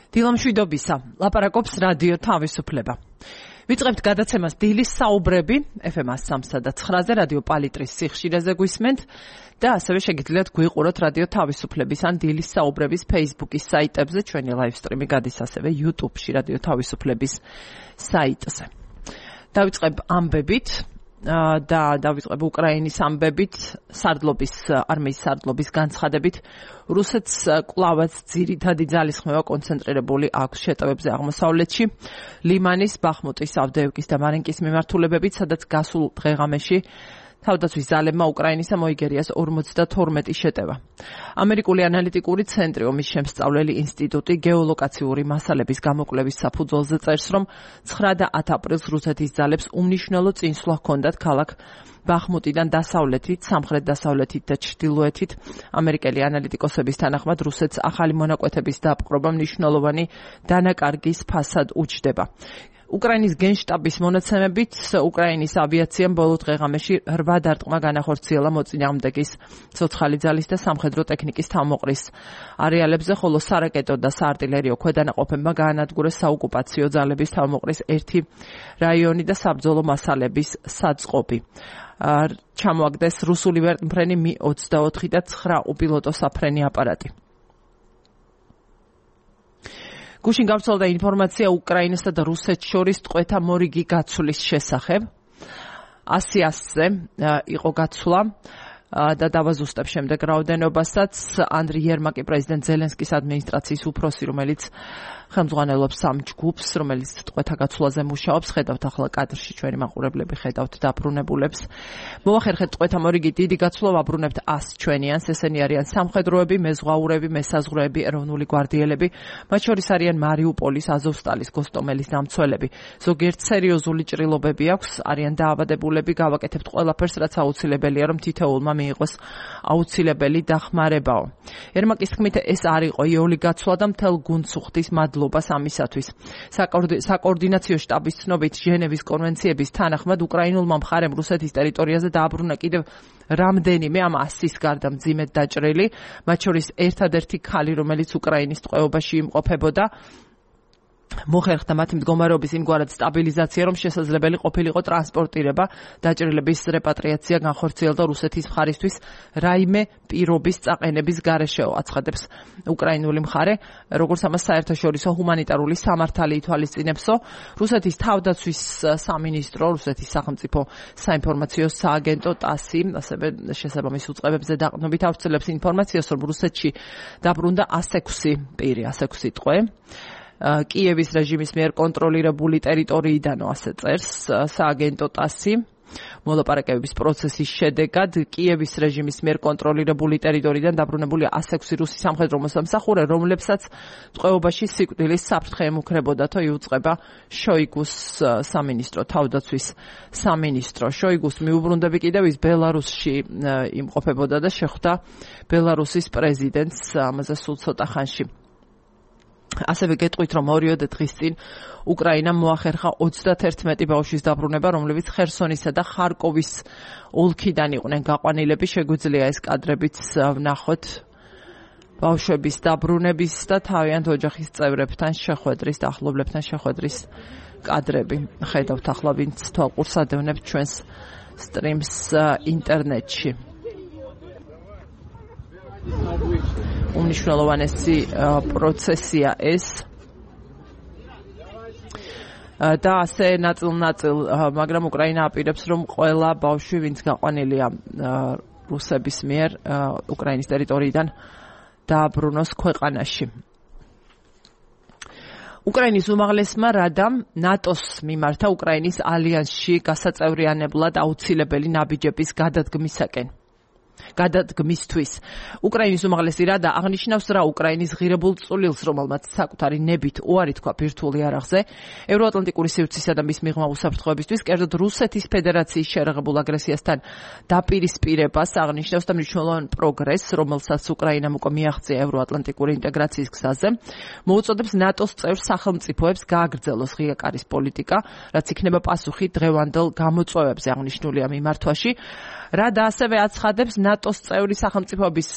დილამშვიდობისა, ლაპარაკობს რადიო თავისუფლება. ვიწყებთ გადაცემას დილის საუბრები FM 103.9-ზე რადიო პალიტრის სიხშირეზე გვისმენთ და ასევე შეგიძლიათ გვიყუროთ რადიო თავისუფლების ან დილის საუბრების Facebook-ის საიტებზე, ჩვენი live stream-ი გადის ასევე YouTube-ში რადიო თავისუფლების საიტზე. დავიწყებ ამბებით და დავიწყებ უკრაინის ამბებით, არმიის სარდლობის განცხადებით. რუსეთს კვლავაც ძირითადი ძალისხმევა კონცენტრირებული აქვს შეტევებზე აღმოსავლეთში, ლიმანის, ბახმუტის, ავდეევკის და მარინკის მიმართულებებით, სადაც გასულ დღეღამეში თავდაცვის ძალებმა უკრაინისა მოიგერიას 52 შეტევა. ამერიკული ანალიტიკური ცენტრი, ომის შემსწავლელი ინსტიტუტი გეოლოკაციური მასალების გამოკვლევის საფუძველზე წერს, რომ 9 და 10 აპრილს რუსეთის ძალებს უმნიშვნელო წინსვლა ჰქონდათ ქალაქ ბახმუტიდან დასავლეთით, სამხრეთ-დასავლეთით და ჩრდილოეთით. ამერიკელი ანალიტიკოსების თანახმად რუსეთს ახალი მონაკვეთების დაპყრობა მნიშვნელოვანი დანაკარგის ფასად უჩნდება. უკრაინის გენშტაბის მონაცემებით, უკრაინის ავიაციამ ბოლო დღეღამეში 8 დარტყმა განახორციელა მოწინააღმდეგის ცოცხალი ძალის და სამხედრო ტექნიკის თავმოყრის არეალებზე, ხოლო სარაკეტო და საარტილერიო ქვედანაყოფებმა გაანადგურეს საოკუპაციო ძალების თავმოყრის ერთი რაიონი და საბრძოლო მასალების საწყობი. ჩამოაგდეს რუსული ვერტმფრენი Mi-24 და 9 უპილოტო საფრენი აპარატი. გუშინ გავრცელდა ინფორმაცია უკრაინასა და რუსეთს შორის ტყვეთა მორიგი გაცვლის შესახებ. 100-ზე იყო გაცვლა და დავაზუსტებ შემდეგ რაოდენობასაც. ანდრი იერმაკი, პრეზიდენტ ზელენსკის ადმინისტრაციის უფროსი, რომელიც ხელმძღვანელობს სამ ჯგუფს, რომელიც ტყვეთა გაცვლაზე მუშაობს, ხედავთ ახლა კადრში ჩვენი მაყურებლები, ხედავთ დაბრუნებულებს. მოახერხეთ ტყვეთა მორიგი დიდი გაცვლა, ვაბრუნებთ 100 ჩვენიანს, ესენი არიან სამხედროები, მეზღვაურები, მესაზღვრეები, ეროვნული გვარდიელები, მათ შორის არიან მარიუპოლის, აზოვსტალის, გოსტომელის დამცველები. ზოგიერთ სერიოზული ჭრილობები აქვს, არიან დაავადებულები, გავაკეთებთ ყველაფერს, რაც აუცილებელია, რომ თითოეულმა მიიღოს აუცილებელი დახმარებაო. ერმაკის თქმით, ეს არ იყო იოლი გაცვლა და მთელ გუნდს უხდის მადლობას ამისათვის. საკოორდინაციო შტაბის ცნობით, ჟენევის კონვენციების თანახმად, უკრაინულმა მხარემ რუსეთის ტერიტორიაზე დააბრუნა კიდევ რამდენიმე ამ 100-ის გარდა მძიმედ დაჭრილი, მათ შორის ერთადერთი ქალი, რომელიც უკრაინის ტყვეობაში იმყოფებოდა. მოხერხდა მათი მდგომარეობის იმგვარად სტაბილიზაცია, რომ შესაძლებელი ყოფილიყო ტრანსპორტირება, დაჭრილების რეპატრიაცია განხორციელდა რუსეთის მხარისთვის რაიმე პირობის წაყენების გარეშეო, აცხადებს უკრაინული მხარე, როგორც ამას საერთაშორისო ჰუმანიტარული სამართალი ითვალისწინებსო. რუსეთის თავდაცვის სამინისტრო, რუსეთის სახელმწიფო საინფორმაციო სააგენტო TASS-ი ასევე შესაბამის უწყებებზე დაყრდნობით ავრცელებს ინფორმაციას, რომ რუსეთში დაბრუნდა 106 პირი, 106 ტყვე. კიევის რეჟიმის მიერ კონტროლირებული ტერიტორიიდანო, ასე წერს სააგენტო TASS-ი. მოლაპარაკებების პროცესის შედეგად კიევის რეჟიმის მიერ კონტროლირებული ტერიტორიიდან დაბრუნებული 106 რუსი სამხედრო მოსამსახურე, რომლებსაც ტყვეობაში სიკვდილის საფრთხე ემუქრებოდათო, იუწყება შოიგუს სამინისტრო, თავდაცვის სამინისტრო. შოიგუს მიუბრუნდები კიდევ ის ბელარუსში იმყოფებოდა და შეხვდა ბელარუსის პრეზიდენტს ამაზე სულ ცოტა ხანში. ასევე გეტყვით, რომ 2 დღის წინ უკრაინამ მოახერხა 31 ბავშვის დაბრუნება, რომლებიც ხერსონისა და ხარკოვის ოლქიდან იყვნენ გაყვანილები. შეგვიძლია ეს კადრებიც ვნახოთ ბავშვების დაბრუნების და თავიანთ ოჯახის წევრებთან შეხვედრის, ახლობლებთან შეხვედრის კადრები. ხედავთ ახლა, ვინც თვალყურს ადევნებთ ჩვენს სტრიმს ინტერნეტში. უმნიშვნელოვანესი პროცესია ეს და ასე ნაწილ-ნაწილ, მაგრამ უკრაინა აპირებს, რომ ყველა ბავშვი, ვინც გაყვანილია რუსების მიერ უკრაინის ტერიტორიიდან, დააბრუნოს ქვეყანაში. უკრაინის უმაღლესმა რადამ ნატოს მიმართა უკრაინის ალიანსში გასაწევრიანებლად აუცილებელი ნაბიჯების გადადგმისთვის. უკრაინის უმაღლესი რადა აღნიშნავს, რა უკრაინის ღირებულ წვლილს, რომელმაც საკუთარი ნებით უარი თქვა ბირთვული არაღზე, ევროატლანტიკური სივრცისა და მის მიღმა უსაფრთხოებისთვის, კერძოდ რუსეთის ფედერაციის შერაღებულ აგრესიასთან დაპირისპირებას აღნიშნავს და მნიშვნელოვან პროგრესს, რომელსაც უკრაინამ უკვე მიაღწია ევროატლანტიკური ინტეგრაციის გზაზე, მოუწოდებს ნატოს წევრ სახელმწიფოებს გააგრძელოს ღია კარის პოლიტიკა, რაც იქნება პასუხი დღევანდელ გამოწვევებზე აღნიშნულია მიმართვაში. რადა ასევე აცხადებს ნატოს წევრი სახელმწიფოების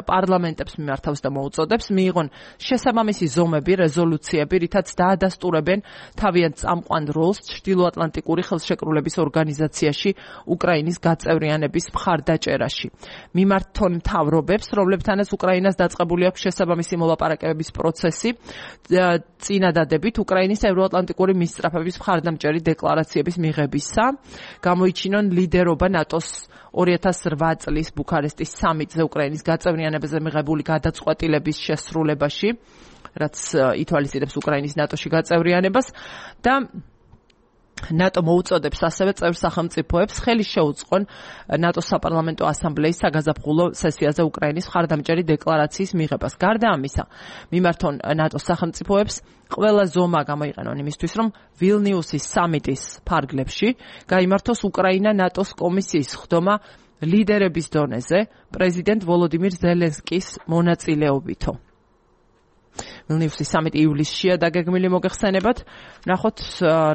პარლამენტებს მიმართავს და მოუწოდებს მიიღონ შესაბამისი ზომები, რეზოლუციები, რითაც დაადასტურებენ თავიანთ წამყვან როლს ჩრდილოატლანტიკური ხელშეკრულების ორგანიზაციაში უკრაინის გაწევრიანების მხარდაჭერაში. მიმართონ მთავრობებს, რომლებთანაც უკრაინას დაწყებული აქვს შესაბამისი მოლაპარაკებების პროცესი, წინადადებით უკრაინის ევროატლანტიკური მისწრაფების მხარდამჭერი დეკლარაციების მიღებისა, გამოიჩინონ ლიდერობა ნატოს 2008 წლის ბუქარესტის სამიტზე უკრაინის გაწევრიანებაზე მიღებული გადაწყვეტილების შესრულებაში, რაც ითვალისწინებს უკრაინის ნატოში გაწევრიანებას და ნატო მოუწოდებს ასევე წევრ სახელმწიფოებს ხელი შეუწყონ ნატოს საპარლამენტო ასამბლეის საგაზაფხულო სესიაზე უკრაინის მხარდამჭერი დეკლარაციის მიღებას. გარდა ამისა, მიმართონ ნატოს სახელმწიფოებს ყველა ზომა გამოიყენონ იმისთვის, რომ ვილნიუსის სამიტის ფარგლებში გაიმართოს უკრაინა ნატოს კომისიის ხდომა ლიდერების დონეზე პრეზიდენტ ვოლოდიმირ ზელენსკის მონაწილეობითო. ვილნიუსის სამიტი ივლისშია დაგეგმილი მოგეხსენებათ. ნახოთ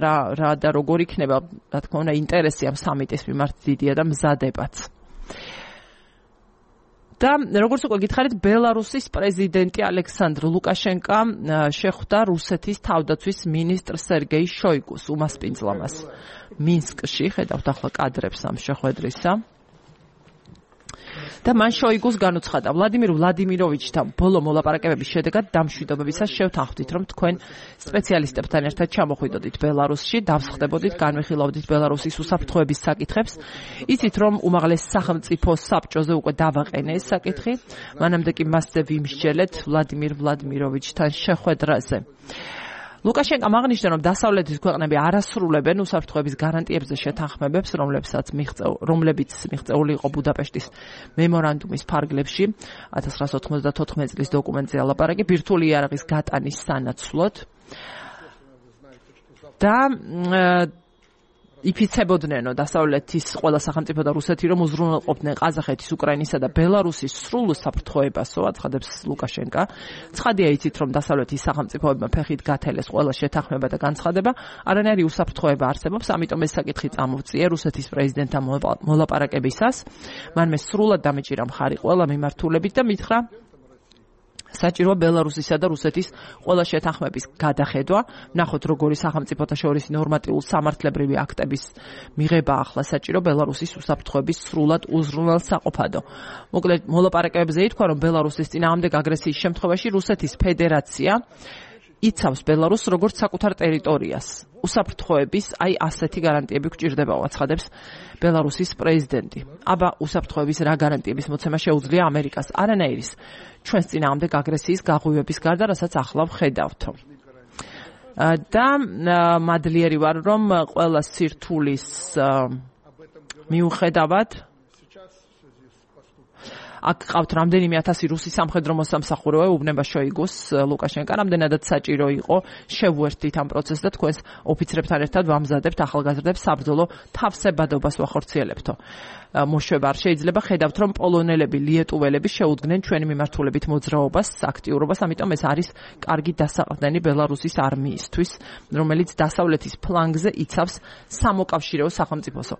რა და როგორ იქნება, რა თქმა უნდა, ინტერესი ამ სამიტის მიმართ დიდია და მზადებაც. და როგორც უკვე გითხარით, ბელარუსის პრეზიდენტი ალექსანდრ ლუკაშენკა შეხვდა რუსეთის თავდაცვის მინისტრ სერგეი შოიგუს უმასპინძლამას მინსკში. ხედავთ ახლა კადრებს ამ შეხვედრისა. და მან შოიგუს განუცხადა, ვლადიმირ ვლადიმიროვიჩთან ბოლო მოლაპარაკებების შედეგად დამშვიდობებისას შევთანხმდით, რომ თქვენ სპეციალისტებთან ერთად ჩამოხვიდოდით ბელარუსში, დავსხდებოდით, განვიხილავდით ბელარუსის უსაფრთხოების საკითხებს. იცით, რომ უმაღლეს სახელმწიფო საბჭოზე უკვე დავაყენე ეს საკითხი, მანამდე კი მასზე ვიმსჯელეთ ვლადიმირ ვლადიმიროვიჩთან შეხვედრაზე. ლუკაშენკამ აღნიშნა, რომ დასავლეთის ქვეყნები არასრულებენ უსაფრთხოების გარანტიებზე შეთანხმებებს, რომლებიც მიღწეული იყო ბუდაპეშტის მემორანდუმის ფარგლებში 1994 წლის დოკუმენტზე ალაპარაკი ბირთვული იარაღის გატანის სანაცვლოდ და იფიცებოდნენო დასავლეთის ყველა სახელმწიფო და რუსეთი, რომ უზრუნველყოფდნენ ყაზახეთის, უკრაინისა და ბელარუსის სრულ უსაფრთხოებასო, აცხადებს ლუკაშენკა. ცხადია იცით, რომ დასავლეთის სახელმწიფოებმა ფეხით გათელეს ყველა შეთანხმება და განცხადება, არანაირი უსაფრთხოება არსებობს, ამიტომ ეს საკითხი წამოვწია რუსეთის პრეზიდენტთან მოლაპარაკებისას. მან მე სრულად დამეჭირა მხარი ყველა მიმართულებით და მითხრა საჭიროა ბელარუსისა და რუსეთის ყველა შეთანხმების გადახედვა. ნახოთ, როგორი სახელმწიფოთა შორის ნორმატიულ სამართლებრივი აქტების მიღება ახლა საჭირო ბელარუსის უსაფრთხოების სრულად უზრუნველსაყოფადო. მოკლედ, მოლაპარაკებებზე ითქვა, რომ ბელარუსის წინააღმდეგ აგრესიის შემთხვევაში რუსეთის ფედერაცია იცავს ბელარუსს როგორც საკუთარ ტერიტორიას. უსაფრთხოების ასეთი გარანტიები გვჭირდება, აცხადებს ბელარუსის პრეზიდენტი. აბა უსაფრთხოების რა გარანტიების მოცემა შეუძლია ამერიკას? არანაირის. ჩვენს წინააღმდეგ აგრესიის გაღვივების გარდა, რასაც ახლა ვხედავთო. და მადლიერი ვარ, რომ ყველა სირთულის მიუხედავად აქ ყავთ რამდენიმე 1000 რუსი სამხედრო მოსამსახურე უბნება შოიგუს ლუკაშენკა, რამდენადაც საჭირო იყო შევუერთდით ამ პროცესს და თქვენს ოფიცრებთან ერთად ვამზადებთ ახალგაზრდებს საბრძოლო თავსებადობას ვახორციელებთო. მოშვება არ შეიძლება, ხედავთ, რომ პოლონელები, ლიეტუველები შეუდგნენ ჩვენი მიმართულებით მოძრაობას, აქტიურობას, ამიტომ ეს არის კარგი დასაყრდენი ბელარუსის არმიისთვის, რომელიც დასავლეთის ფლანგზე იცავს სამოკავშირეო სახელმწიფოსო.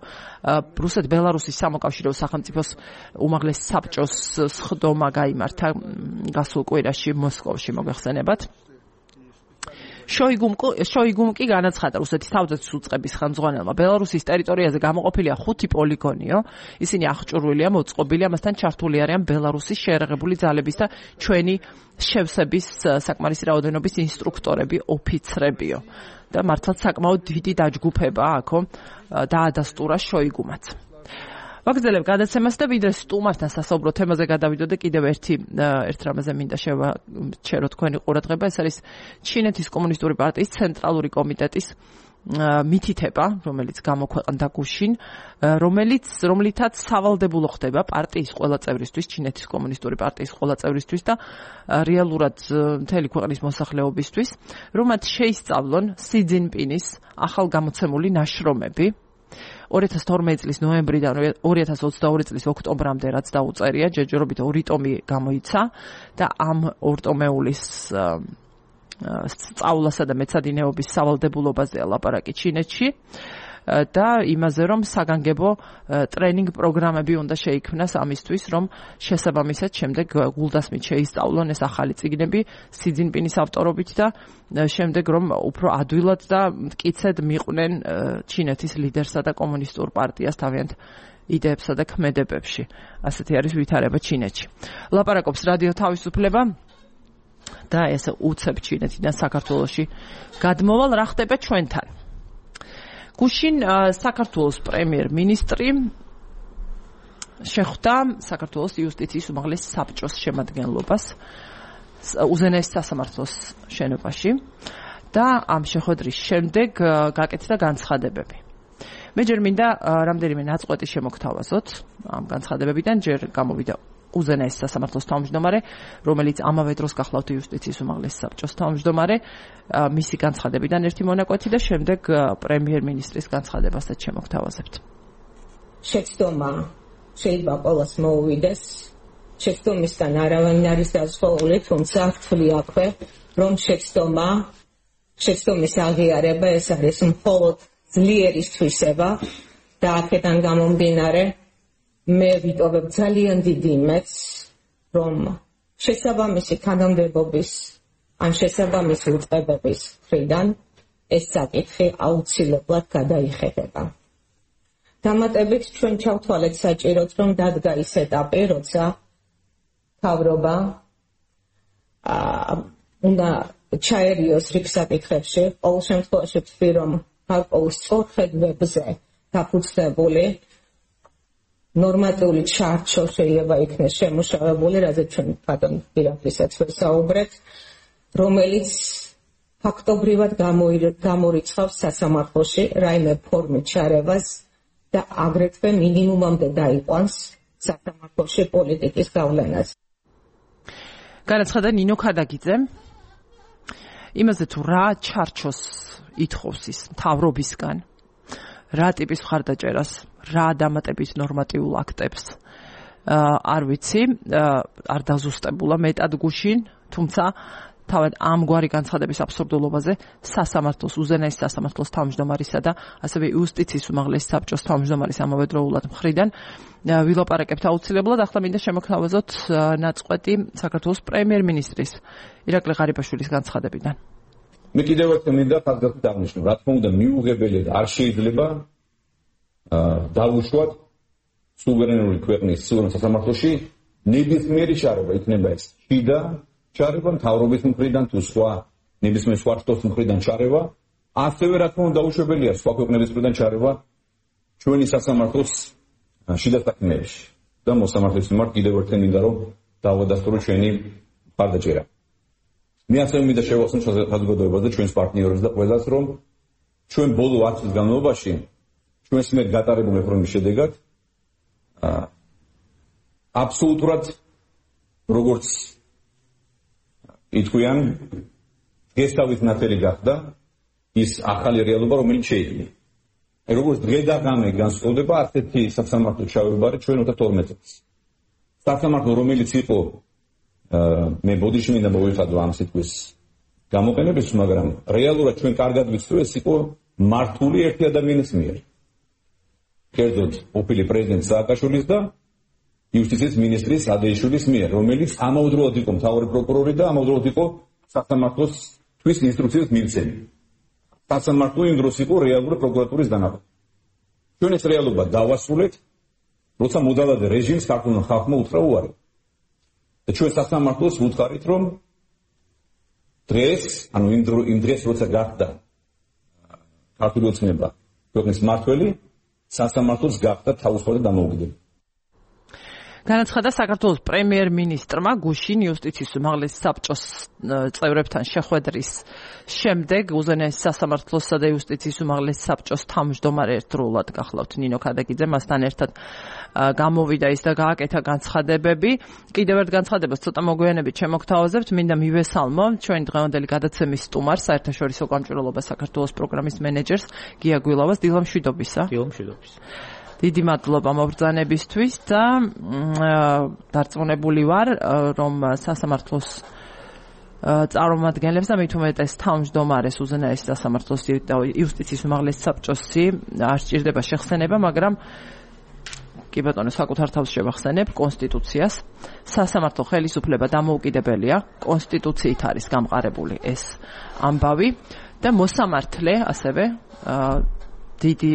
რუსეთ-ბელარუსის სამოკავშირეო სახელმწიფოს უმაღლეს საბჭოს სხდომა გაიმართა გასულ კვირაში მოსკოვში, მოგეხსენებათ. შოიგუმ კი განაცხადა რუსეთის თავდაცვის უწყების ხელმძღვანელმა, ბელარუსის ტერიტორიაზე გამოყოფილია 5 პოლიგონიო, ისინი აღჭურვილია, მოწყობილია, მასთან ჩართული არიან ბელარუსის შეერაღებული ძალების და ჩვენი შევსების საკმარისი რაოდენობის ინსტრუქტორები, ოფიცრებიო. და მართლაც საკმაოდ დიდი დაჯგუფება აქო დაადასტურა შოიგუმაც. ვაგრძელებ გადაცემას და ვიდრე სტუმართან სასაუბრო თემაზე გადავიდოდე, კიდევ ერთ რამაზე მინდა შევაჩერო თქვენი ყურადღება, ეს არის ჩინეთის კომუნისტური პარტიის ცენტრალური კომიტეტის მითითება, რომელიც გამოქვეყნდა გუშინ, რომლითაც სავალდებულო ხდება პარტიის ყველა წევრისთვის, ჩინეთის კომუნისტური პარტიის ყველა წევრისთვის და რეალურად მთელი ქვეყნის მოსახლეობისთვის, რომ მათ შეისწავლონ სი ძინპინის ახალგამოცემული ნაშრომები 2012 წლის ნოემბრიდან 2022 წლის ოქტომბრამდე, რაც დაუწერია, ჯერჯერობით 2 ტომი გამოიცა და ამ ორტომეულის სწავლასა და მეცადინეობის სავალდებულობაზეა ლაპარაკი ჩინეთში. და იმაზე რომ საგანგებო ტრენინგ პროგრამები უნდა შეიქმნას ამისთვის რომ შესაბამისად შემდეგ გულდასმით შეისწავლონ ეს ახალი წიგნები სი ძინპინის ავტორობით და შემდეგ რომ უფრო ადვილად და მტკიცედ მიყვნენ ჩინეთის ლიდერსა და კომუნისტურ პარტიას თავიანთ იდეებსა და ქმედებებში. ასეთი არის ვითარება ჩინეთში. ლაპარაკობს რადიო თავისუფლება და ესე უცებ ჩინეთიდან საქართველოში გადმოვალ რა ხდება ჩვენთან. გუშინ საქართველოს პრემიერ-მინისტრი შეხვდა საქართველოს იუსტიციის უმაღლეს საბჭოს შემადგენლობას უზენაეს სასამართლოს შენობაში და ამ შეხვედრის შემდეგ გაკეთდა განცხადებები. მე ჯერ მინდა რამდენიმე ნაწყვეტი შემოგთავაზოთ ამ განცხადებებიდან. ჯერ გამოვიდა უზენაეს სასამართლოს თავმჯდომარე, რომელიც ამავე დროს გახლავთ იუსტიციის უმაღლეს საბჭოს თავმჯდომარე, მისი განცხადებიდან ერთი მონაკვეთი და შემდეგ პრემიერ-მინისტრის განცხადებასაც შემოგთავაზებთ. შეცდომა შეიძლება ყოველს მოუვიდეს, შეცდომისგან არავინ არის დაზღვეული, თუმცა ვთვლი აქვე, რომ შეცდომის აღიარება ეს არის მხოლოდ ძლიერის თვისება და აქედან გამომდინარე მე ვიტოვებ ძალიან დიდი იმედს, რომ შესაბამისი თანამდებობის ან შესაბამისი უწყებების მხრიდან ეს საკითხი აუცილებლად გადაიხედება. დამატებით ჩვენ ჩავთვალეთ საჭიროდ, რომ დადგა ის ეტაპი, როცა მთავრობა უნდა ჩაერიოს რიგ საკითხებში, ყოველ შემთხვევაში ვთვლი, რომ გარკვეულ სწორხედვებზე დაფუძნებული ნორმატიული ჩარჩო შეიძლება იქნეს შემუშავებული, რაზეც ჩვენ ბატონ დირექტორისაც ვესაუბრეთ, რომელიც ფაქტობრივად გამორიცხავს სასამართლოში რაიმე ფორმით ჩარევას და აგრეთვე მინიმუმამდე დაიყვანს სასამართლოში პოლიტიკის გავლენას. განაცხადა ნინო ქადაგიძემ იმაზე თუ რა ჩარჩოს ითხოვს ის მთავრობისგან, რა ტიპის მხარდაჭერას, რა დამატებით ნორმატიულ აქტებს არ ვიცი, არ დაზუსტებულა მეტად გუშინ, თუმცა თავად ამგვარი განცხადების აბსურდულობაზე სასამართლოს უზენაეს სასამართლოს თავმჯდომარისა და ასევე იუსტიციის უმაღლეს საბჭოს თავმჯდომარის ამავდროულად მხრიდან ვილაპარაკებთ აუცილებლად. ახლა მინდა შემოგთავაზოთ ნაწყვეტი საქართველოს პრემიერ-მინისტრის ირაკლი ღარიბაშვილის განცხადებიდან. მე კიდევ ერთხელ მინდა ხაზგასმით აღნიშნო, რა თქმა უნდა მიუღებელი არ შეიძლება დავუშვათ სუვერენული ქვეყნის სუვერენ სასამართლოში ნებისმიერი ჩარევა, იქნება ეს შიდა ჩარევა მთავრობის მხრიდან თუ სხვა ნებისმიერ სხვა შტოს მხრიდან ჩარევა, ასევე რა თქმა უნდა დაუშვებელია სხვა ქვეყნების მხრიდან ჩარევა ჩვენი სასამართლოს შიდა საქმეებში და მოსამართლეს მიმართ კიდევ ერთხელ მინდა რომ დავადასტურო ჩვენი მხარდაჭერა. მე ასევე მინდა შევახსენო საზოგადოებაზე ჩვენს პარტნიორებს და ყველას, რომ ჩვენ ბოლო 10 წლის განმავლობაში ჩვენს მიერ გატარებული რეფორმის შედეგად აბსოლუტურად როგორც ითქვიან გესტავის ნათელი გახდა ის ახალი რეალობა, რომელიც შეიქმნა. როგორც დღე და ღამე განსხვავდება ასეთი სასამართლო ჩავებარე ჩვენ 2012 წელს. სასამართლო რომელიც იყო მე ბოდიში მინდა მოვიხადო ამ სიტყვის გამოყენების, მაგრამ რეალურად ჩვენ კარგად ვიცით, ეს იყო მართული ერთი ადამიანის მიერ. კერძოდ ყოფილი პრეზიდენტ სააკაშვილის და იუსტიციის მინისტრის ადეიშვილის მიერ, რომელიც ამავდროულად იყო მთავარი პროკურორი და ამავდროულად იყო სასამართლოსთვის ინსტრუქციის მიღწევი. სასამართლო იმ დროს იყო რეალური პროკურატურის დანაყოფი. ჩვენ ეს რეალობა დავასრულეთ, როცა მოდალადე რეჟიმს ქართულმა ხალხმა უთხრა უარი. და ჩვენ სასამართლოს ვუთხარით, რომ დღეს, ანუ იმ დღეს როცა გახდა ქართული ოცნება ქვეყნის მმართველი, სასამართლოს გახდა თავისუფალი დამოუკიდებელი. განაცხადა საქართველოს პრემიერ-მინისტრმა გუშინ იუსტიციის უმაღლეს საბჭოს წევრებთან შეხვედრის შემდეგ უზენაეს სასამართლოსა და იუსტიციის უმაღლეს საბჭოს თავმჯდომარე ერთდროულად გახლავთ ნინო ქადაგიძე, მასთან ერთად გამოვიდა ის და გააკეთა განცხადებები. კიდევ ერთ განცხადებას ცოტა მოგვიანებით შემოგთავაზებთ, მინდა მივესალმო ჩვენი დღევანდელი გადაცემის სტუმარს, საერთაშორისო გამჭვირვალობა საქართველოს პროგრამის მენეჯერს გია გვილავას. დილა მშვიდობისა. დილა მშვიდობის. დიდი მადლობა მობრძანებისთვის და დარწმუნებული ვარ, რომ სასამართლოს წარმომადგენლებს და მით უმეტეს თავმჯდომარეს უზენაესი სასამართლოს იუსტიციის უმაღლესი საბჭოსი არ სჭირდება შეხსენება, მაგრამ კი ბატონო, საკუთარ თავს შევახსენებ კონსტიტუციას. სასამართლო ხელისუფლება დამოუკიდებელია, კონსტიტუციით არის გამყარებული ეს ამბავი და მოსამართლე ასევე დიდი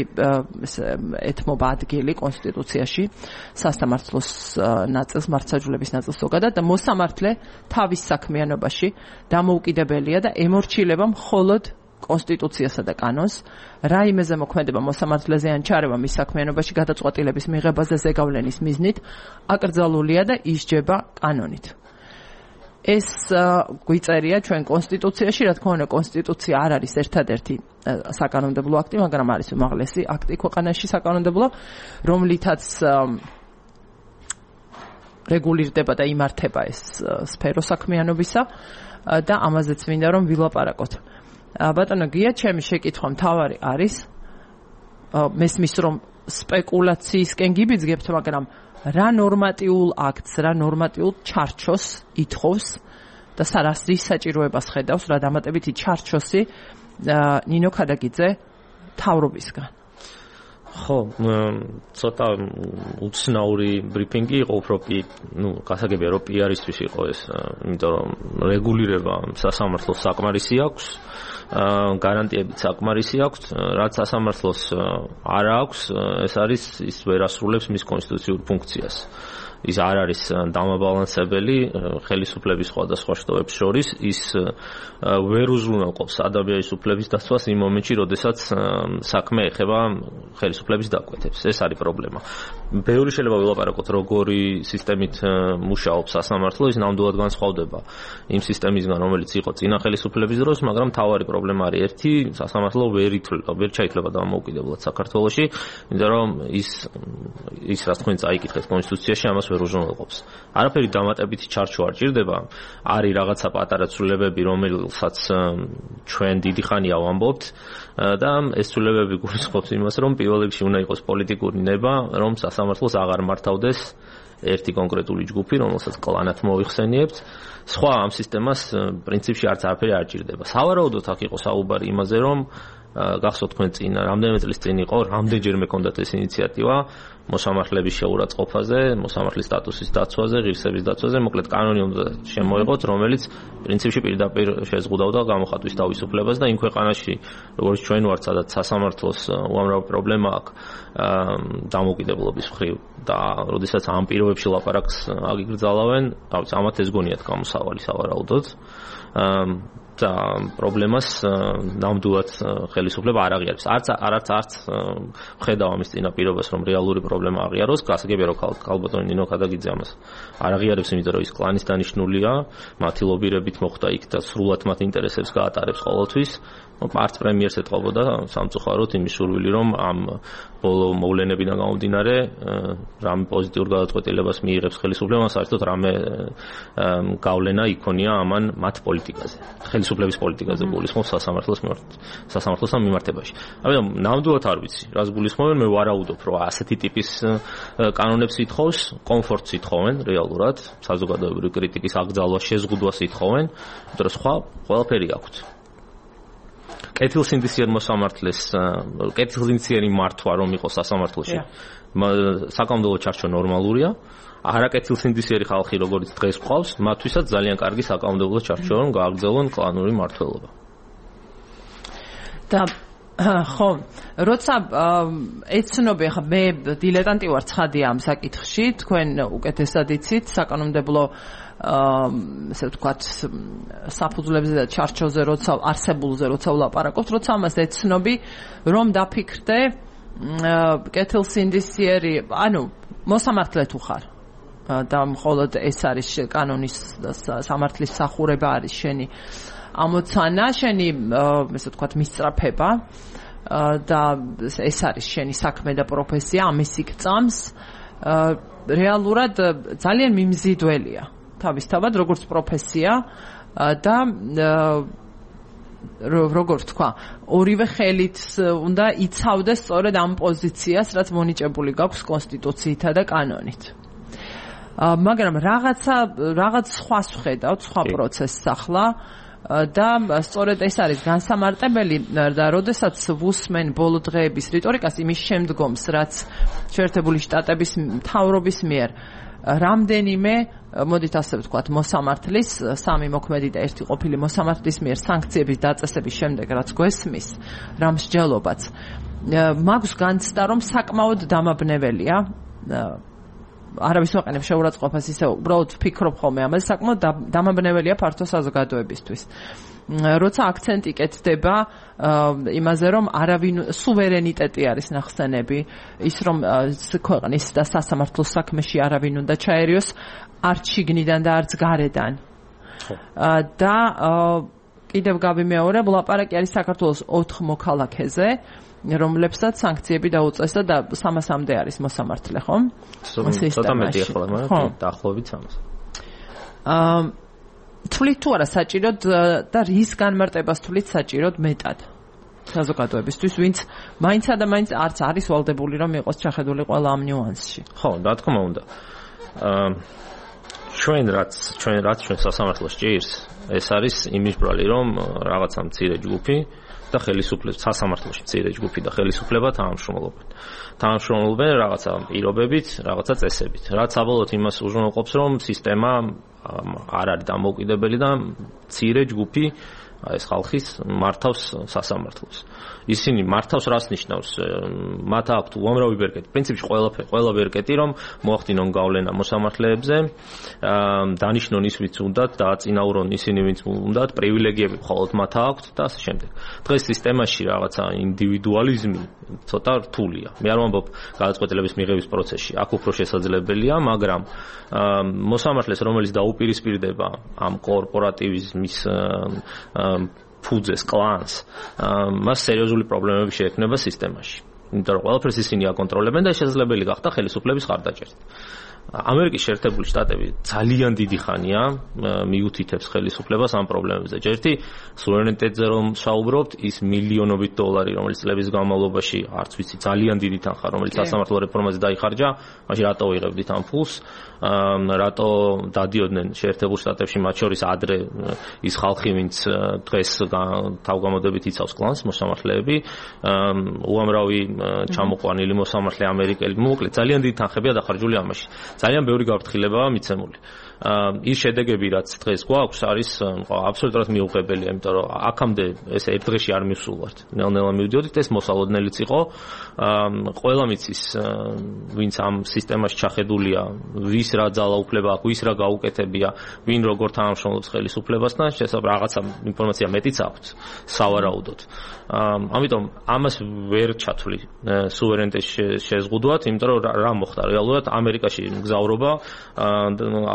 ეთმობა ადგილი კონსტიტუციაში სასამართლოს ნაწილს, მართლმსაჯულების ნაწილს ზოგადად და მოსამართლე თავის საქმიანობაში დამოუკიდებელია და ემორჩილება მხოლოდ კონსტიტუციასა და კანონს. რაიმეზე მოქმედება მოსამართლეზე ან ჩარევა მის საქმიანობაში გადაწყვეტილების მიღებაზე ზეგავლენის მიზნით აკრძალულია და ისჯება კანონით. ეს გვიწერია ჩვენ კონსტიტუციაში, რა თქმა უნდა, კონსტიტუცია არ არის ერთადერთი საკანონმდებლო აქტი, მაგრამ არის უმაღლესი აქტი ქვეყანაში საკანონმდებლო, რომლითაც რეგულირდება და იმართება ეს სფერო საქმიანობისა და ამაზეც მინდა რომ ვილაპარაკოთ. ბატონო გია, ჩემი შეკითხვა მთავარი არის, მესმის რომ სპეკულაციისკენ გიბიძგებთ, მაგრამ რა ნორმატიულ აქტს, რა ნორმატიულ ჩარჩოს ითხოვს და რის საჭიროებას ხედავს, რა დამატებითი ჩარჩოსი ნინო ქადაგიძე თავრობისგან. ხო, ცოტა უცნაური ბრიფინგი იყო, უფრო გასაგებია რომ PR-ისთვის იყო ეს, იმიტომ რომ რეგულირება სასამართლოს საკმარისი აქვს, გარანტიებით საკმარისი აქვს, რაც სასამართლოს არ აქვს, ეს არის ის ვერ ასრულებს მის კონსტიტუციურ ფუნქციას. ის არ არის დამაბალანსებელი ხელისუფლების სხვადასხვა შტოებს შორის, ის ვერ უზრუნველყოფს ადამიანის უფლების დაცვას იმ მომენტში, როდესაც საქმე ეხება ხელისუფლების დაკვეთებს. ეს არის პრობლემა. ბევრი შეიძლება ვილაპარაკოთ, როგორი სისტემით მუშაობს სასამართლო, ის ნამდვილად განსხვავდება იმ სისტემისგან, რომელიც იყო წინა ხელისუფლების დროს, მაგრამ მთავარი პრობლემა არის ერთი, სასამართლო ვერ ჩაითვლება დამოუკიდებლად საქართველოში, იმიტომ რომ ის რაც თქვენ წაიკითხეთ კონსტიტუციაში, ამას ვერ უზრუნველყოფს. არაფერი დამატებითი ჩარჩო არ ჭირდება, არის რაღაცა პატარა ცვლილებები, რომელსაც ჩვენ დიდი ხანია ვამბობთ და ეს ცვლილებები გულისხმობს იმას, რომ პირველ რიგში უნდა იყოს პოლიტიკური ნება, რომ სასამართლოს აღარ მართავდეს ერთი კონკრეტული ჯგუფი, რომელსაც კლანად მოიხსენიებთ. სხვა ამ სისტემას პრინციპში არც არაფერი არ ჭირდება. სავარაუდოდ აქ იყო საუბარი იმაზე, რომ გახსოვთ თქვენ წინ რამდენიმე წლის წინ იყო, რამდენჯერმე ჰქონდათ ეს ინიციატივა მოსამართლეების შეურაცხყოფაზე, მოსამართლის სტატუსის დაცვაზე, ღირსების დაცვაზე, მოკლედ კანონი უნდა შემოიღოთ, რომელიც პრინციპში პირდაპირ შეზღუდავდა გამოხატვის თავისუფლებას და იმ ქვეყანაში, როგორც ჩვენ ვართ, სადაც სასამართლოს უამრავი პრობლემა აქვს დამოუკიდებლობის მხრივ და როდესაც ამ პირობებში ლაპარაკს აგიგრძალავენ, ამათ ეს გონიათ გამოსავალი სავარაუდოდ. და პრობლემას ნამდვილად ხელისუფლება არ აღიარებს. არც ხედავ ამის წინაპირობას, რომ რეალური პრობლემა აღიაროს. გასაგებია, რომ ქალბატონი ნინო ქადაგიძე ამას არ აღიარებს, იმიტომ რომ ის კლანის დანიშნულია, მათი ლობირებით მოხდა იქ და სრულად მათ ინტერესებს გაატარებს ყოველთვის. არც პრემიერს ეთყობოდა სამწუხაროდ იმის სურვილი, რომ ამ ბოლო მოვლენებიდან გამომდინარე რამე პოზიტიურ გადაწყვეტილებას მიიღებს ხელისუფლება, საერთოდ რამე გავლენა იქონია ამან მათ პოლიტიკაზე, ხელისუფლების პოლიტიკაზე გულისხმობს სასამართლოსთან მიმართებაში. ამიტომ ნამდვილად არ ვიცი, რას გულისხმობენ, მე ვარაუდობ, რომ ასეთი ტიპის კანონებს ითხოვს, კომფორტს ითხოვენ რეალურად, საზოგადოებრივი კრიტიკის აკრძალვას, შეზღუდვას ითხოვენ, იმიტომ რომ სხვა ყველაფერი აქვთ. კეთილსინდისიერ მოსამართლეს, კეთილსინდისიერი მართვა რომ იყოს სასამართლოში, საკანონმდებლო ჩარჩო ნორმალურია. არაკეთილსინდისიერი ხალხი, როგორც დღეს გვყავს, მათთვისაც ძალიან კარგი საკანონმდებლო ჩარჩო რომ გააგრძელონ კლანური მმართველობა. და ხო, როცა ეცნობი, ხა მე დილეტანტი ვარ ცხადია ამ საკითხში, თქვენ უკეთესად იცით საკანონმდებლო ესე ვთქვათ საფუძვლებზე და ჩარჩოზე როცა არსებულზე როცა ვლაპარაკობთ, როცა ამას ეცნობი, რომ დაფიქრდე კეთილსინდისიერი, ანუ მოსამართლე თუ ხარ და მხოლოდ ეს არის კანონის სამართლის სახურება არის შენი ამოცანა, შენი ესე ვთქვათ მისწრაფება და ეს არის შენი საქმე და პროფესია, ამის იქ-წამს რეალურად ძალიან მიმზიდველია თავისთავად როგორც პროფესია და როგორც თქვა, ორივე ხელით უნდა იცავდეს სწორედ ამ პოზიციას, რაც მონიჭებული გაქვს კონსტიტუციითა და კანონით. მაგრამ რაღაც სხვას ვხედავთ, სხვა პროცესს ახლა და სწორედ ეს არის განსამარტებელი და როდესაც ვუსმენ ბოლო დღეების რიტორიკას იმის შემდგომს, რაც შეერთებული შტატების მთავრობის მიერ რამდენიმე, მოდით ასე ვთქვათ, მოსამართლის, სამი მოქმედი და ერთი ყოფილი მოსამართლის მიერ სანქციების დაწესების შემდეგ, რაც გვესმის, რა მსჯელობაც, მაქვს განცდა, რომ საკმაოდ დამაბნეველია არავის ვაყენებ შეურაცხყოფას ისე უბრალოდ ვფიქრობ ხოლმე ამაზე საკმაოდ დამაბნეველია ფართო საზოგადოებისთვის. როცა აქცენტი კეთდება იმაზე, რომ არავინ სუვერენიტეტი არის ნახსენები, ის რომ ქვეყნის და სასამართლოს საქმეში არავინ უნდა ჩაერიოს არც შიგნიდან და არც გარედან. და კიდევ გავიმეორებ, ლაპარაკი არის საქართველოს 4 მოქალაქეზე, რომლებსაც სანქციები დაუწესდა და 300-მდე არის მოსამართლე, ხო? ცოტა მეტი ახლა, მაგრამ დაახლოებით 300. თვლით თუ არა საჭიროდ და რის განმარტებას თვლით საჭიროდ მეტად საზოგადოებისთვის, ვინც მაინცა და მაინც არც არის ვალდებული, რომ იყოს ჩახედული ყველა ამ ნიუანსში. ხო, რა თქმა უნდა. ჩვენ რაც სასამართლოს ჭირს, ეს არის იმის ბრალი, რომ რაღაცა მცირე ჯგუფი და ხელისუფლება სასამართლოში მცირე ჯგუფი და ხელისუფლება თანამშრომლობენ რაღაცა პირობებით, რაღაცა წესებით. რაც საბოლოოდ იმას უზრუნველყოფს, რომ სისტემა არ არის დამოუკიდებელი და მცირე ჯგუფი ეს ხალხის მართავს სასამართლოს. ისინი მართავს რას ნიშნავს? მათ აქვთ უამრავი ბერკეტი. პრინციპში ყველა ბერკეტი რომ მოახდინონ გავლენა მოსამართლეებზე, დანიშნონ ის ვინც უნდათ, დააწინაურონ ისინი ვინც უნდათ, პრივილეგიები მხოლოდ მათ აქვთ და ასე შემდეგ. დღეს სისტემაში რაღაცა ინდივიდუალიზმი ცოტა რთულია. მე არ ვამბობ გადაწყვეტილების მიღების პროცესში, აქ უფრო შესაძლებელია, მაგრამ მოსამართლეს, რომელიც დაუპირისპირდება ამ კორპორატივიზმის ფუძეს, კლანს, მას სერიოზული პრობლემები შეექმნება სისტემაში. იმიტომ რომ ყველაფერს ისინი აკონტროლებენ და შესაძლებელი გახდა ხელისუფლების ხარდაჭერით. ამერიკის შეერთებული შტატები ძალიან დიდი ხანია მიუთითებს ხელისუფლებას ამ პრობლემებზე. ჯერთი სუვერენიტეტზე რომ საუბრობთ, ის მილიონობით დოლარი, რომელიც წლების განმავლობაში არც ვიცი, ძალიან დიდი თანხა, რომელიც სასამართლო რეფორმაზე დაიხარჯა, მაშინ რატო ვიღებდით ამ ფულს? რატო დადიოდნენ შეერთებულ შტატებში, მათ შორის ადრე ის ხალხი, ვინც დღეს თავგამოდებით იცავს კლანს, მოსამართლეები, უამრავი ჩამოყვანილი მოსამართლე ამერიკელი, მოკლედ ძალიან დიდი თანხებია დახარჯული ამაში. ძალიან ბევრი გაფრთხილებაა მიცემული. ის შედეგები, რაც დღეს გვაქვს, არის აბსოლუტურად მიუღებელია, იმიტომ რომ აქამდე ეს ერთ დღეში არ მივსულვართ. ნელ-ნელა მივდიოდით, ეს მოსალოდნელიც იყო. ყველა მიცის, ვინც ამ სისტემაში ჩახედულია, ვის რა ძალაუფლება აქვს, ვის რა გაუკეთებია, ვინ როგორ თანამშრომლობს ხელისუფლებასთან, შესაძლოა რაღაცა ინფორმაცია მეტიც აქვს სავარაუდოდ. ამიტომ ამას ვერ ჩათვლი სუვერენიტეტის შეზღუდვად, იმიტომ რომ რა მოხდა რეალურად ამერიკაში მგზავრობა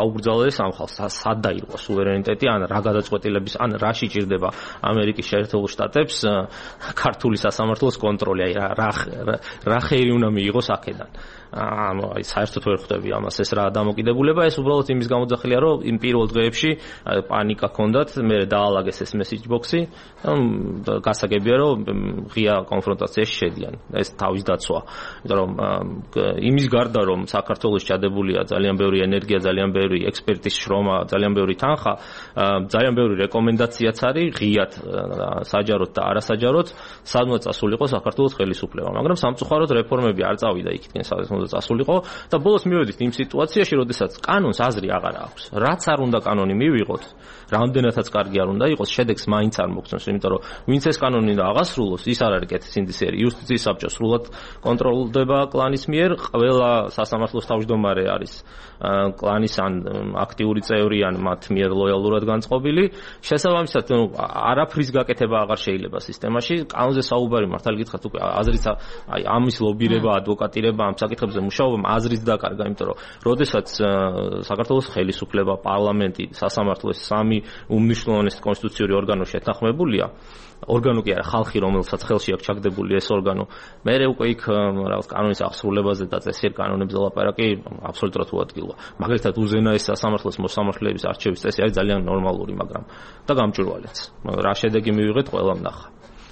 აუგრძალეს ამ ხალხს, სად დაირღვა სუვერენიტეტი, ან რა გადაწყვეტილების, ან რა შეჭირდება ამერიკის შეერთებულ შტატებს ქართული სასამართლოს კონტროლი, აი რა ხერი უნდა მიიღოს აქედან. აი საერთოდ ვერ ხვდები ამას, ეს რა დამოკიდებულება, ეს უბრალოდ იმის გამოძახილია, რომ იმ პირველ დღეებში პანიკა ჰქონდათ, მე დაალაგეს ეს მესეჯ ბოქსი, გასაგებია, რომ ღია კონფრონტაციაში შედიან. ეს თავის დაცვა. იმიტომ რომ იმის გარდა, რომ საქართველოს ჩადებულია ძალიან ბევრი ენერგია, ძალიან ბევრი ექსპერტის შრომა, ძალიან ბევრი თანხა, ძალიან ბევრი რეკომენდაციაც არის ღიად საჯაროდ და არასაჯაროდ, სადაც წასულიყო საქართველოს ხელისუფლება. მაგრამ სამწუხაროდ რეფორმები არ წავიდა იქითკენ, სადაც უნდა წასულიყო და ბოლოს მივედით იმ სიტუაციაში, როდესაც კანონს აზრი აღარ აქვს. რაც არ უნდა კანონი მივიღოთ, რამდენადაც კარგი არ უნდა იყოს, შედეგს მაინც არ მოგწონს, იმიტომ რომ ვინც ეს კანონი და აღასრულოს, ის არ არის კეთილსინდისერი. იუსტიციის საბჭო სრულად კონტროლდება კლანის მიერ, ყველა სასამართლოს თავმჯდომარე არის კლანის ან აქტიური წევრი ან მათ მიერ ლოიალურად განწყობილი. შესაბამისად, არაფრის გაკეთება აღარ შეიძლება სისტემაში. კანონზე საუბარი მართალი გითხრათ, უკვე აზრით აი ამის ლობირება, ადვოკატირება ამ საკითხებზე მუშაობამ აზრით დაკარგა, იმიტომ რომ როდესაც საქართველოს ხელისუფლება, პარლამენტი, სასამართლო ეს სამი უმნიშვნელოვანესი კონსტიტუციური ორგანო შეთანხმებულია, ორგანო კი არა, ხალხი, რომელსაც ხელში აქვს ჩაგდებული ეს ორგანო, მე უკვე იქ რაღაც კანონის აღსრულებაზე და წესიერ კანონებზე ლაპარაკი აბსოლუტურად უადგილოა. მაგალითად, უზენაეს სასამართლოს მოსამართლეების არჩევის წესი არის ძალიან ნორმალური, მაგრამ და გამჭვირვალეც. რა შედეგი მივიღეთ, ყველამ ნახა.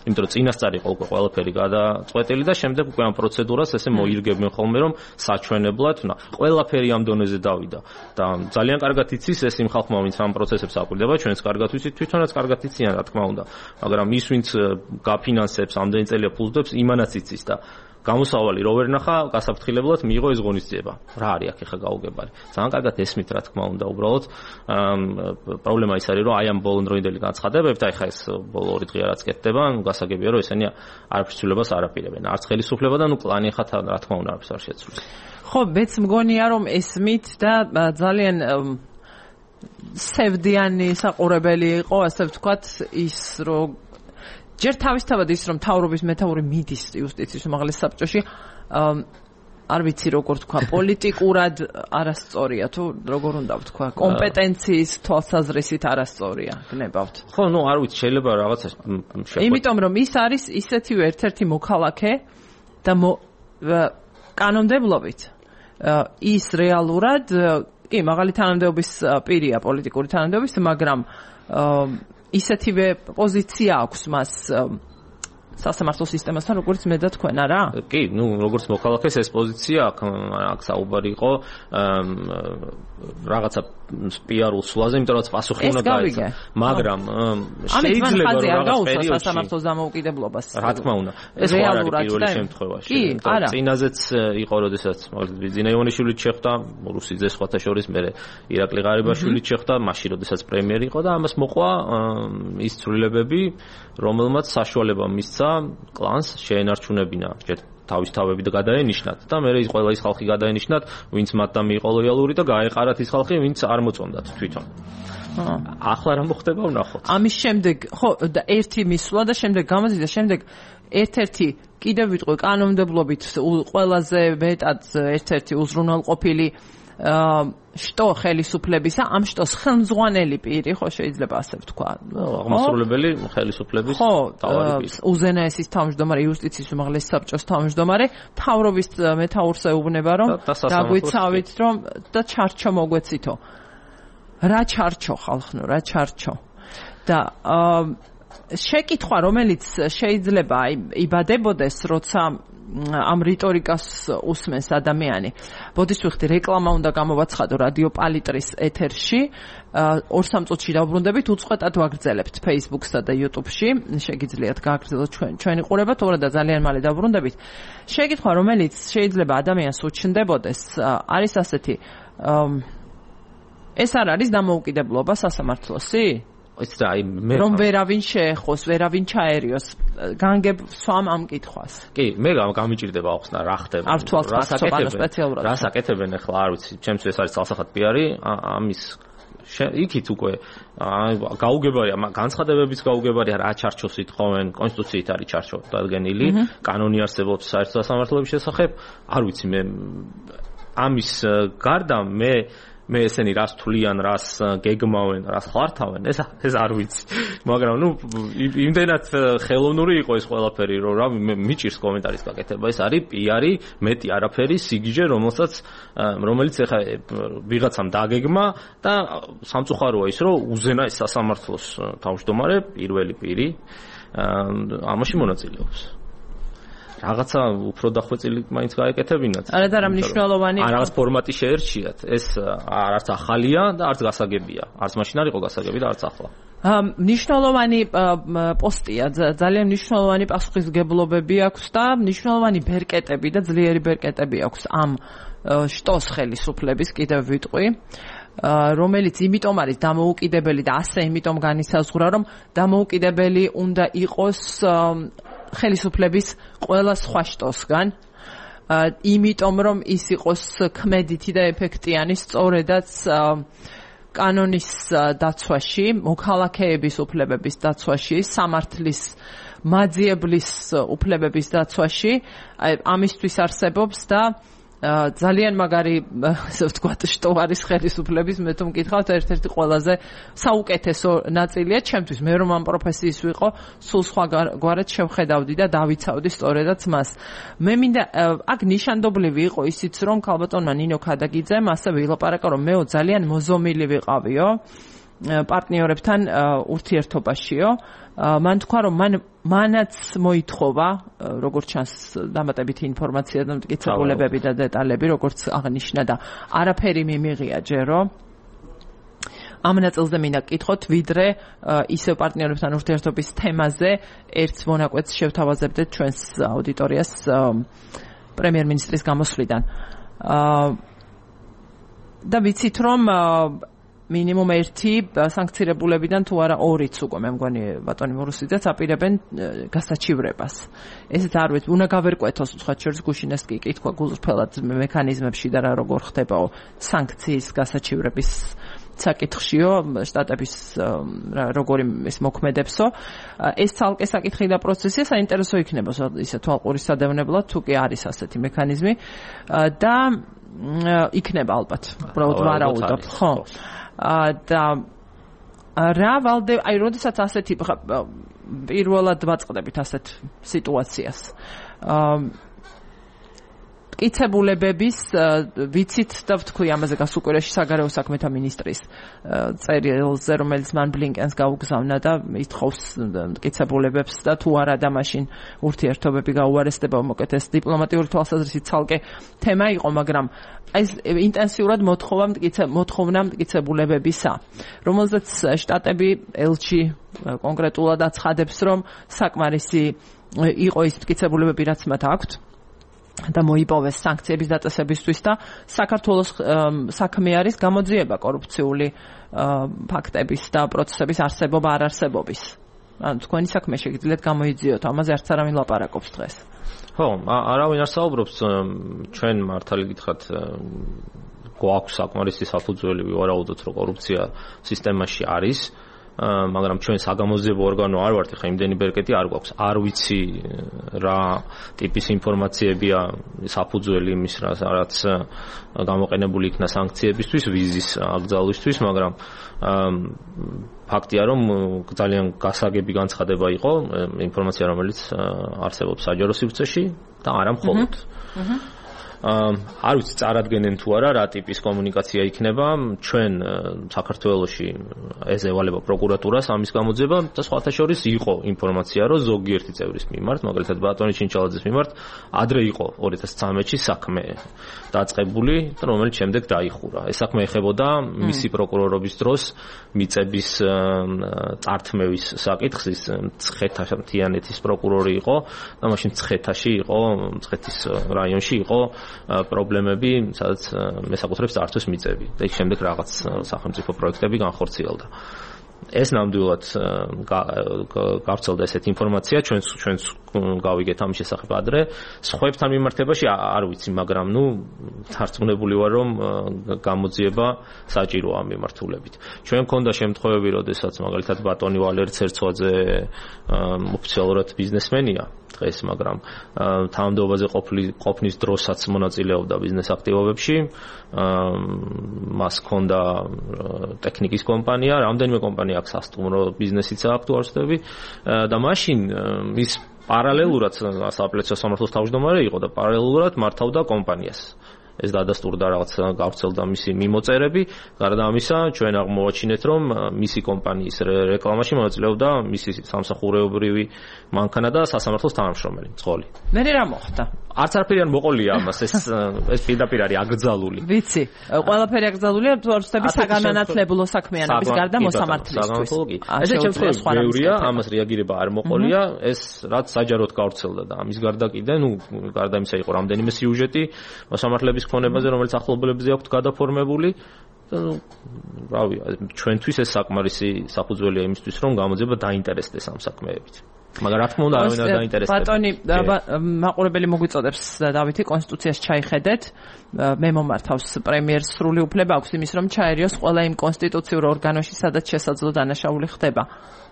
იმიტომ რომ წინასწარ იყო უკვე ყველაფერი გადაწყვეტილი და შემდეგ უკვე ამ პროცედურას ესე მოირგებენ ხოლმე რომ საჩვენებლად, ყველაფერი ამ დონეზე დავიდა და ძალიან კარგად იცის ეს იმ ხალხმა, ვინც ამ პროცესებს აკვირდება, ჩვენც კარგად ვიცით, თვითონაც კარგად იციან, რა თქმა უნდა, მაგრამ ის ვინც გაფინანსებს, ამდენი წელია ფულდებს, იმანაც იცის და გამოსავალი რო ვერ ნახა, გასაფრთხილებლად მიიღო ეს ღონისძიება. რა არის აქ ახლა გაუგებარი? ძალიან კარგად ესმით, რა თქმა უნდა, უბრალოდ პრობლემა ის არის, რომ აი ამ ბოლონდროინდელი განცხადებებით, აი ხა ეს ბოლო 2 დღე რაც კეთდება, გასაგებია, რომ ესენი არაფრისულებას არ აპირებენ. არც ხელისუფლება და კლანი ხა რა თქმა უნდა არაფერს არ შეცვლის. ხო, მეც მგონია, რომ ესმით და ძალიან სევდიანი საყურებელი იყო, ასე ვთქვათ, ის რომ ჯერ თავისთავად ის რომ მთავრობის მეთაური მიდის იუსტიციის უმაღლეს საბჭოში არ ვიცი როგორ თქვა პოლიტიკურად არასწორია თუ როგორ უნდა ვთქვა კომპეტენციის თვალსაზრისით არასწორია გნებავთ ხო ნუ არ ვიცი შეიძლება რაღაცა იმიტომ რომ ის არის ისეთივე ერთ-ერთი მოქალაქე და კანონმდებლობით ის რეალურად კი მაღალი თანამდებობის პირია პოლიტიკური თანამდებობის მაგრამ ისეთივე პოზიცია აქვს მას სასამართლო სისტემასთან როგორც მე და თქვენ არა? კი, ნუ როგორც მოქალაქეს ეს პოზიცია აქ საუბარი იყო რაღაცა პიარულ სულაზე, იმიტომ რომ პასუხი უნდა გაეცა. მაგრამ შეიძლება რომ რაღაც პერიოდში სასამართლოს დამოუკიდებლობას. რა თქმა უნდა. ეს ხო არ არის პირველი შემთხვევაში. წინაზეც იყო, როდესაც ბიძინა ივანიშვილიც შეხვდა, რუსიძე სხვათა შორის, მე ირაკლი ღარიბაშვილიც შეხვდა, მაშინ როდესაც პრემიერი იყო და ამას მოყვა ის ცვლილებები, რომელმაც საშუალება მისცა კლანს შეენარჩუნებინა თავის თავები და გადაენიშნათ და მე ის ყველა ის ხალხი გადაენიშნათ, ვინც მათთან მიიყო ლოიალური და გაეყარათ ის ხალხი, ვინც არ მოწონდათ თვითონ. ახლა რა მოხდება ვნახოთ. ამის შემდეგ ხო და ერთი მისვლა და შემდეგ გამოზიდა შემდეგ ერთ-ერთი კიდევ ვიტყვი კანონმდებლობით ყველაზე მეტად ერთ-ერთი უზრუნველყოფილი შტო ხელისუფლებისა ამ შტოს ხელმძღვანელი პირი ხო შეიძლება ასე ვთქვა აღმასრულებელი ხელისუფლების თავარი პირი უზენაესის თავმჯდომარე იუსტიციის უმაღლეს საბჭოს თავმჯდომარე მთავრობის მეთაურს ეუბნება რომ დაგვიცავით რომ და ჩარჩო მოგვეცითო რა ჩარჩო ხალხნო რა ჩარჩო და შეკითხვა რომელიც შეიძლება იბადებოდეს როცა ამ რიტორიკას უსმენს ადამიანი. ბოდის ვიხდი რეკლამა უნდა გამოვაცხადო რადიო პალიტრის ეთერში. 2-3 წუთში დავბრუნდებით, უწყვეტად ვაგრძელებთ Facebook-სა და YouTube-ში. შეგიძლიათ გააგრძელოთ ჩვენი ყურება, თორე და ძალიან მალე დავბრუნდებით. შეკითხვა რომელიც შეიძლება ადამიანს უჩნდებოდეს, არის ასეთი. ეს არ არის დამოუკიდებლობა სასამართლოსი? რომ ვერავინ შეეხოს, ვერავინ ჩაერიოს, განგებ სვამ ამ კითხვას. კი, მე გამიჭირდება ახსნა რა ხდება. არ თვალს გასაკეთებენ სპეციალურად. რა საკეთებენ ახლა არ ვიცი, ჩემთვის ეს არის ცალსახად პიარი, ამის იქით უკვე გაუგებარია, განცხადებების გაუგებარია რა ჩარჩოს ითხოვენ, კონსტიტუციით არის ჩარჩო დადგენილი, კანონი არსებობს საერთო სასამართლოების შესახებ, არ ვიცი მე ამის გარდა მე ესენი რას თვლიან, რას გეგმავენ, რას ხართავენ, ეს არ ვიცი. მაგრამ ნუ იმდენად ხელოვნური იყო ეს ყველაფერი, რომ რა მიჭირს კომენტარის გაკეთება. ეს არის პიარი, მეტი არაფერი, სიგიჟე, რომელიც ახლა ვიღაცამ დაგეგმა და სამწუხაროა ის, რომ უზენაეს სასამართლოს თავმჯდომარე პირველი პირი ამაში მონაწილეობს. რაღაცა უფრო დახვეწილი მაინც გაეკეთებინათ. არა და რა მნიშვნელოვანი რაღაც ფორმატი შეერჩიათ. ეს არც ახალია და არც გასაგებია. არც მაშინ არ იყო გასაგები და არც ახლა. მნიშვნელოვანი პოსტია, ძალიან მნიშვნელოვანი პასუხისმგებლობები აქვს და მნიშვნელოვანი ბერკეტები და ძლიერი ბერკეტები აქვს ამ შტოს ხელისუფლების კიდევ ვიტყვი. რომელიც იმიტომ არის დამოუკიდებელი და ასე იმიტომ განისაზღვრა რომ დამოუკიდებელი უნდა იყოს ხელისუფლების ყველა სხვა შტოსგან იმიტომ რომ ის იყოს ქმედითი და ეფექტიანი სწორედაც კანონის დაცვაში, მოქალაქეების უფლებების დაცვაში, სამართლის მაძიებლის უფლებების დაცვაში, ამისთვის არსებობს და ძალიან მაგარი ასე ვთქვათ შტო არის ხელისუფლების მე თუ მკითხავთ ერთ-ერთი ყველაზე საუკეთესო ნაწილია ჩემთვის მე რომ ამ პროფესიის ვიყო სულ სხვა გვარად შევხედავდი და დავიცავდი სწორედაც მას მე მინდა აქ ნიშანდობლივი იყო ისიც რომ ქალბატონმა ნინო ქადაგიძემ ასე ვილაპარაკა რომ მეო ძალიან მოზომილი ვიყავიო პარტნიორებთან ურთიერთობაშიო. მან თქვა, რომ მანაც მოითხოვა, როგორც ჩანს დამატებითი ინფორმაცია და მტკიცებულებები და დეტალები, როგორც აღნიშნა და არაფერი მიმიღია ჯერო. ამ ნაწილზე მინდა გკითხოთ, ვიდრე ისევ პარტნიორებთან ურთიერთობის თემაზე ერთ მონაკვეთს შევთავაზებდეთ ჩვენს აუდიტორიას პრემიერ-მინისტრის გამოსვლიდან. და ვიცით, რომ მინიმუმ ერთი სანქცირებულებიდან თუ არა ორიც უკვე მე მგონი ბატონი მურუსიძეც აპირებენ გასაჩივრებას. ესეც არ ვიცი, უნდა გავერკვეთოს უცხოეთ შორის გუშინეს კი კითხვა გულწრფელად მექანიზმებში და რა როგორ ხდებაო სანქციის გასაჩივრების საკითხშიო შტატების როგორი ეს მოქმედებსო. ეს ცალკე საკითხი და პროცესია საინტერესო იქნება ისე თვალყურის სადევნებლად თუ კი არის ასეთი მექანიზმი და იქნება ალბათ უბრალოდ ვარაუდობ ხო და რა ვალდე აი როდესაც ასეთი პირველად ვაწყდებით ასეთ სიტუაციას მტკიცებულებების ვიცით და ვთქვი ამაზე გასულ კვირაში საგარეო საქმეთა მინისტრის წერილზე, რომელიც მან ბლინკენს გაუგზავნა და ითხოვს მტკიცებულებებს და თუ არა და მაშინ ურთიერთობები გაუარესდება, მოკეთ ეს დიპლომატიური თვალსაზრისით ცალკე თემა იყო, მაგრამ ეს ინტენსიურად მოთხოვნა მტკიცებულებებისა, რომელზეც შტატები ელჩი კონკრეტულად აცხადებს, რომ საკმარისი იყო ის მტკიცებულებები, რაც მათ აქვთ და მოიპოვეს სანქციების დაწესებისთვის და საქართველოს საქმე არის გამოძიება კორუფციული ფაქტების და პროცესების არსებობა არ არსებობის. ანუ თქვენი საქმე შეგიძლიათ გამოიძიოთ, ამაზე არც არავინ ლაპარაკობს დღეს. ხო, არავინ არ საუბრობს, ჩვენ მართალი გითხრათ გვაქვს საკმარისი საფუძველი ვივარაუდოთ, რომ კორუფცია სისტემაში არის. მაგრამ ჩვენ საგამოძიებო ორგანო არ ვართ, ხა იმდენი ბერკეტი არ გვაქვს. არ ვიცი რა ტიპის ინფორმაციებია საფუძველი იმის, რაც გამოყენებული იქნა სანქციებისთვის, ვიზის აკრძალვისთვის, მაგრამ ფაქტია, რომ ძალიან გასაგები განცხადება იყო ინფორმაცია, რომელიც არსებობს საჯარო სივრცეში და არა მხოლოდ. არ ვიცი წარადგენენ თუ არა რა ტიპის კომუნიკაცია იქნება. ჩვენ საქართველოში ეზევალება პროკურატურას ამის გამოძიება და სხვათა შორის იყო ინფორმაცია, რომ ზოგიერთი წევრის მიმართ, მაგალითად ბატონი ჩინჩალაძის მიმართ, ადრე იყო 2013-ში საქმე დაწყებული, რომელიც შემდეგ დაიხურა. ეს საქმე ეხებოდა მისი პროკურორობის დროს მიწების წართმევის საკითხს. ის მცხეთა-თიანეთის პროკურორი იყო და მაშინ მცხეთაში იყო, მცხეთის რაიონში იყო პრობლემები, სადაც მესაკუთრებს წართვის მიწები და იქ შემდეგ რაღაც სახელმწიფო პროექტები განხორციელდა. ეს ნამდვილად გავრცელდა ესეთი ინფორმაცია, ჩვენც გავიგეთ ამის შესახებ ადრე. სხვებთან მიმართებაში არ ვიცი, მაგრამ დარწმუნებული ვარ, რომ გამოძიება საჭიროა ამ მიმართულებით. ჩვენ მქონდა შემთხვევები, როდესაც მაგალითად ბატონი ვალერი ცერცვაძე ოფიციალურად ბიზნესმენია დღეს, მაგრამ თანამდებობაზე ყოფნის დროსაც მონაწილეობდა ბიზნეს აქტივობებში. მას ჰქონდა ტექნიკის კომპანია, რამდენიმე კომპანია აქვს სასტუმრო ბიზნესიც აქვს თუ არ ვცდები და მაშინ ის პარალელურად სააპელაციო სამართლის თავმჯდომარე იყო და პარალელურად მართავდა კომპანიას. ეს დადასტურდა რაღაც გავრცელდა მისი მიმოწერები. გარდა ამისა, ჩვენ აღმოვაჩინეთ, რომ მისი კომპანიის რეკლამაში მონაწილეობდა მისი სამსახურეობრივი მანქანა და სასამართლოს თანამშრომელი მძღოლი. მე რა მოხდა? არც არაფერი არ მოყოლია ამას, ეს პირდაპირ არის აკრძალული. ვიცი, ყველაფერი აკრძალულია, თუ არ ვცდები საგანმანათლებლო საქმიანობის გარდა მოსამართლისთვის. ესე შემთხვევაში ბევრია, ამას რეაგირება არ მოყოლია, ეს რაც საჯაროდ გავრცელდა და ამის გარდა კიდე, გარდა იმისა იყო რამდენიმე სიუჟეტი მოსამართლეების ქონებაზე, რომელიც ახლობლებზე აქვთ გადაფორმებული. რავი, ჩვენთვის ეს საკმარისი საფუძველია იმისთვის, რომ გამოძიება დაინტერესდეს ამ საქმეებით. მაგრამ რა თქმა უნდა, არავინ არ დაინტერესდება. ბატონი, მაყურებელი მოგვიწოდებს დავითი, კონსტიტუციას ჩაიხედეთ. მე მომართავს პრემიერს სრული უფლება აქვს იმის, რომ ჩაერიოს ყველა იმ კონსტიტუციურ ორგანოში, სადაც შესაძლო დანაშაული ხდება.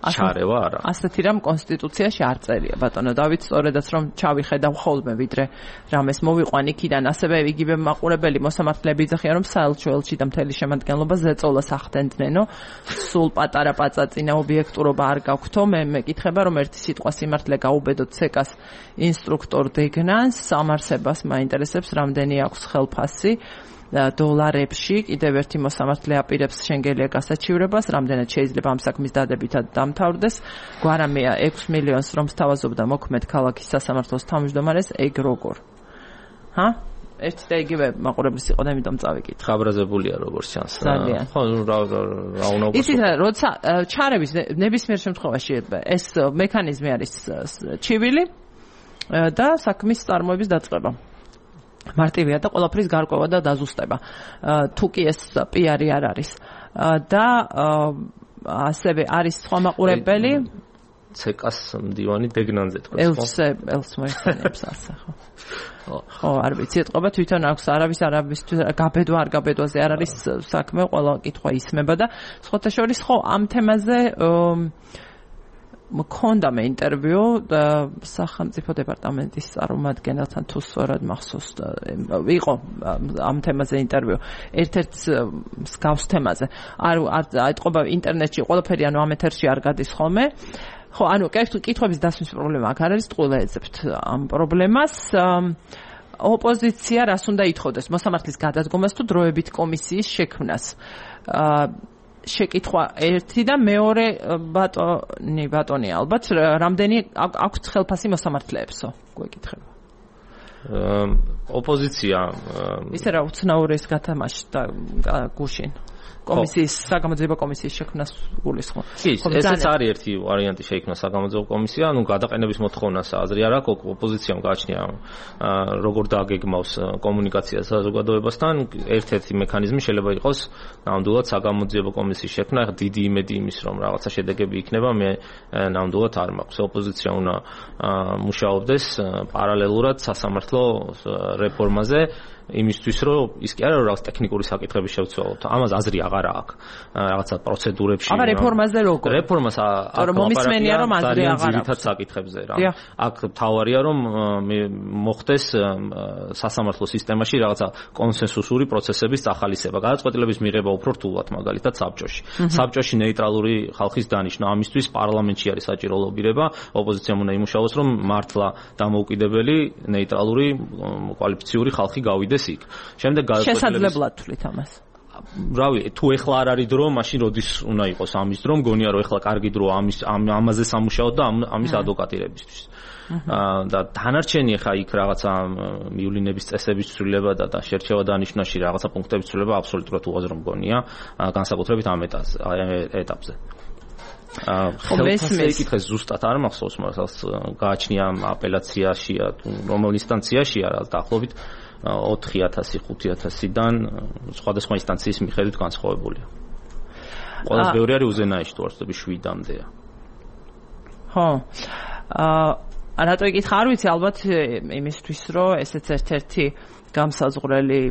ჩარევა არა. ასეთი რამ კონსტიტუციაში არ წერია, ბატონო დავით, სწორედაც რომ ჩავიხედავ ხოლმე, ვიდრე რამეს მოვიყვან იქიდან, ასევე იგივე მაყურებელი მოსამართლეები იძახიან, რომ საელჩო ელჩი და მთელი შემადგენლობა ზეწოლას ახდენდნენო, სულ პატარა პაწაწინა ობიექტურობა არ გაქვთო. მე მეკითხება, რომ ერთი სიტყვა სიმართლე გაუბედოთ ცეკას ინსტრუქტორ დეგნანს, სამარსებას მაინტერესებს, რამდენი აქვს ხელფასი. დოლარებში. კიდევ ერთი მოსამართლე აპირებს შენგელია გასაჩივრებას, რამდენად შეიძლება ამ საქმის დადებითად დამთავრდეს. გვარამია 6 მილიონს რომ სთავაზობდა მოქმედ ქალაქის სასამართლოს თავმჯდომარეს, ეგ როგორ? ერთი და იგივე მაყურებლის იყო და იმიტომ წავიკითხე. ხაბრაზებულია როგორც ჩანს. ძალიან. ხო, რა უნდა ვქო. იცით რა, როცა ჩარების ნებისმიერ შემთხვევაში ეს მექანიზმი არის ჩივილი და საქმის წარმოების დაწყება. მარტივია და ყველაფრის გარკვევა და დაზუსტება. თუ კი ეს პიარი არ არის. და ასევე არის სხვა მაყურებელი ცეკას მდივანი დეგნანზე თქვა. ელს მოიხსენებს ასე ხო. ხო, არ ვიცი, ეთყობა თვითონ აქვს არავის გაბედვა არ გაბედვაზე არ არის საქმე, ყველა კითხვა ისმება და სხვათა შორის ხო ამ თემაზე მქონდა მე ინტერვიუ სახელმწიფო დეპარტამენტის წარმომადგენელთან თუ სწორად მახსოვს იყო ამ თემაზე ინტერვიუ ერთ-ერთ მსგავს თემაზე არ ეთყობა ინტერნეტში ყველაფერი ანუ ამ ეთერში არ გადის ხოლმე ხო ანუ კითხვების დასმის პრობლემა აქ არ არის ტყუილე ეძებთ ამ პრობლემას ოპოზიცია რას უნდა ითხოვდეს მოსამართლის გადადგომას თუ დროებით კომისიის შექმნას შეკითხვა ერთი და მეორე ბატონი ალბათ რამდენი აქვს ხელფასი მოსამართლეებსო გვეკითხება ოპოზიცია ისე რა უცნაური ეს გათამაშდა გუშინ კომისიის საგამოძიებო კომისიის შექმნას გულისხმობ. ესეც არის ერთი ვარიანტი შეიქმნა საგამოძიებო კომისია, ანუ გადაყენების მოთხოვნას აზრი არ აქვს, ოპოზიციამ გააჩნია როგორ დააგეგმავს კომუნიკაციას საზოგადოებასთან, ერთ-ერთი მექანიზმი შეიძლება იყოს ნამდვილად საგამოძიებო კომისიის შექმნა, ახლა დიდი იმედი იმის რომ რაღაცა შედეგები იქნება, მე ნამდვილად არ მაქვს. ოპოზიცია უნდა მუშაობდეს პარალელურად სასამართლო რეფორმაზე იმისთვის რომ ის კი არა რომ რაღაც ტექნიკური საკითხები შევცვალოთ. ამას აზრი აღარ აქვს. რაღაცა პროცედურებში. აბა რეფორმაზე როგორ? რეფორმას მომისმენია რომ აზრი აღარ აქვს. ძირითად საკითხებზე რა. აქ თავარია რომ მოხდეს სასამართლო სისტემაში რაღაცა კონსენსუსური პროცესების ახალისება. გადაწყვეტილების მიღება უფრო რთულად მაგალითად საბჭოში. საბჭოში ნეიტრალური ხალხის დანიშვნა. ამისთვის პარლამენტში არის საჭირო ლობირება. ოპოზიციამ უნდა იმუშაოს რომ მართლა დამოუკიდებელი ნეიტრალური კვალიფიციური ხალხი გავიდეს იქ. შემდეგ შესაძლებლად თვლით ამას. რავი, თუ ეხლა არ არის დრო, მაშინ როდის უნდა იყოს ამის დრო? მგონია რომ ეხლა კარგი დროა ამაზე სამუშაოდ და ამის ადვოკატირებისთვის. და დანარჩენი ეხა იქ რაღაცა მიულინების წესების ცვლილება და შერჩევა დანიშვნაში რაღაცა პუნქტების ცვლილება აბსოლუტურად უაზრო მგონია, განსაკუთრებით ამ ეტაპზე. ხელფასზე იკითხეს ზუსტად არ მახსოვს, მაგრამ გააჩნია აპელაციაშია, რომელ ინსტანციაშია რა დაახლოებით 4000, 5000-დან სხვადასხვა ინსტანციის მიხედვით განსხვავებულია. ყველაზე ბევრი არის უზენაეში თუ არ ვცდები 7-მდეა. ხო. რატო იკითხა არ ვიცი ალბათ იმისთვის რომ ესეც ერთ-ერთი გამსაზღვრელი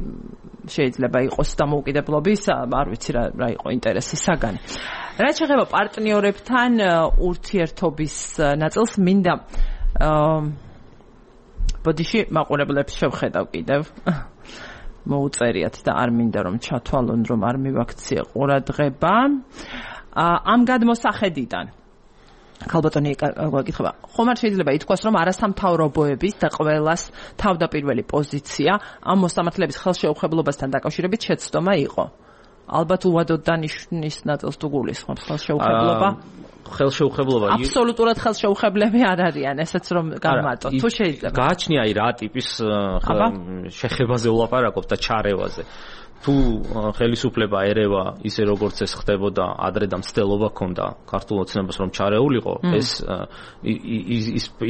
შეიძლება იყოს დამოუკიდებლობის, არ ვიცი რა იყო ინტერესის საგანი. რაც შეეხება პარტნიორებთან ურთიერთობის ნაწილს მინდა ბოდიში მაყურებლებს შევხედავ კიდევ მოუწერიათ და არ მინდა რომ ჩათვალონ რომ არ მივაქციე ყურადღება ამ გადმოსახედიდან ხალბატონი გაკითხება ხომ არ შეიძლება ითქვას რომ არასამთავრობოების და ყველას თავდაპირველი პოზიცია ამ მოსამართლეების ხელშეუხებლობასთან დაკავშირებით შეცდომა იყო ალბათ უვადოდ დანიშნის ნაწილს თუ გულისხმობს ხელშეუხებლობა ხელშეუხებლობა აბსოლუტურად ხელშეუხებლები არ არიან ესეც რომ გამატო თუ შეიძლება გააჩნია აი რა ტიპის შეხებაზე ვლაპარაკობ და ჩარევაზე თუ ხელისუფლება ერევა ისე როგორც ეს ხდებოდა ადრე და მცდელობა ქონდა ქართულ ოცნებას რომ ჩარეულიყო ეს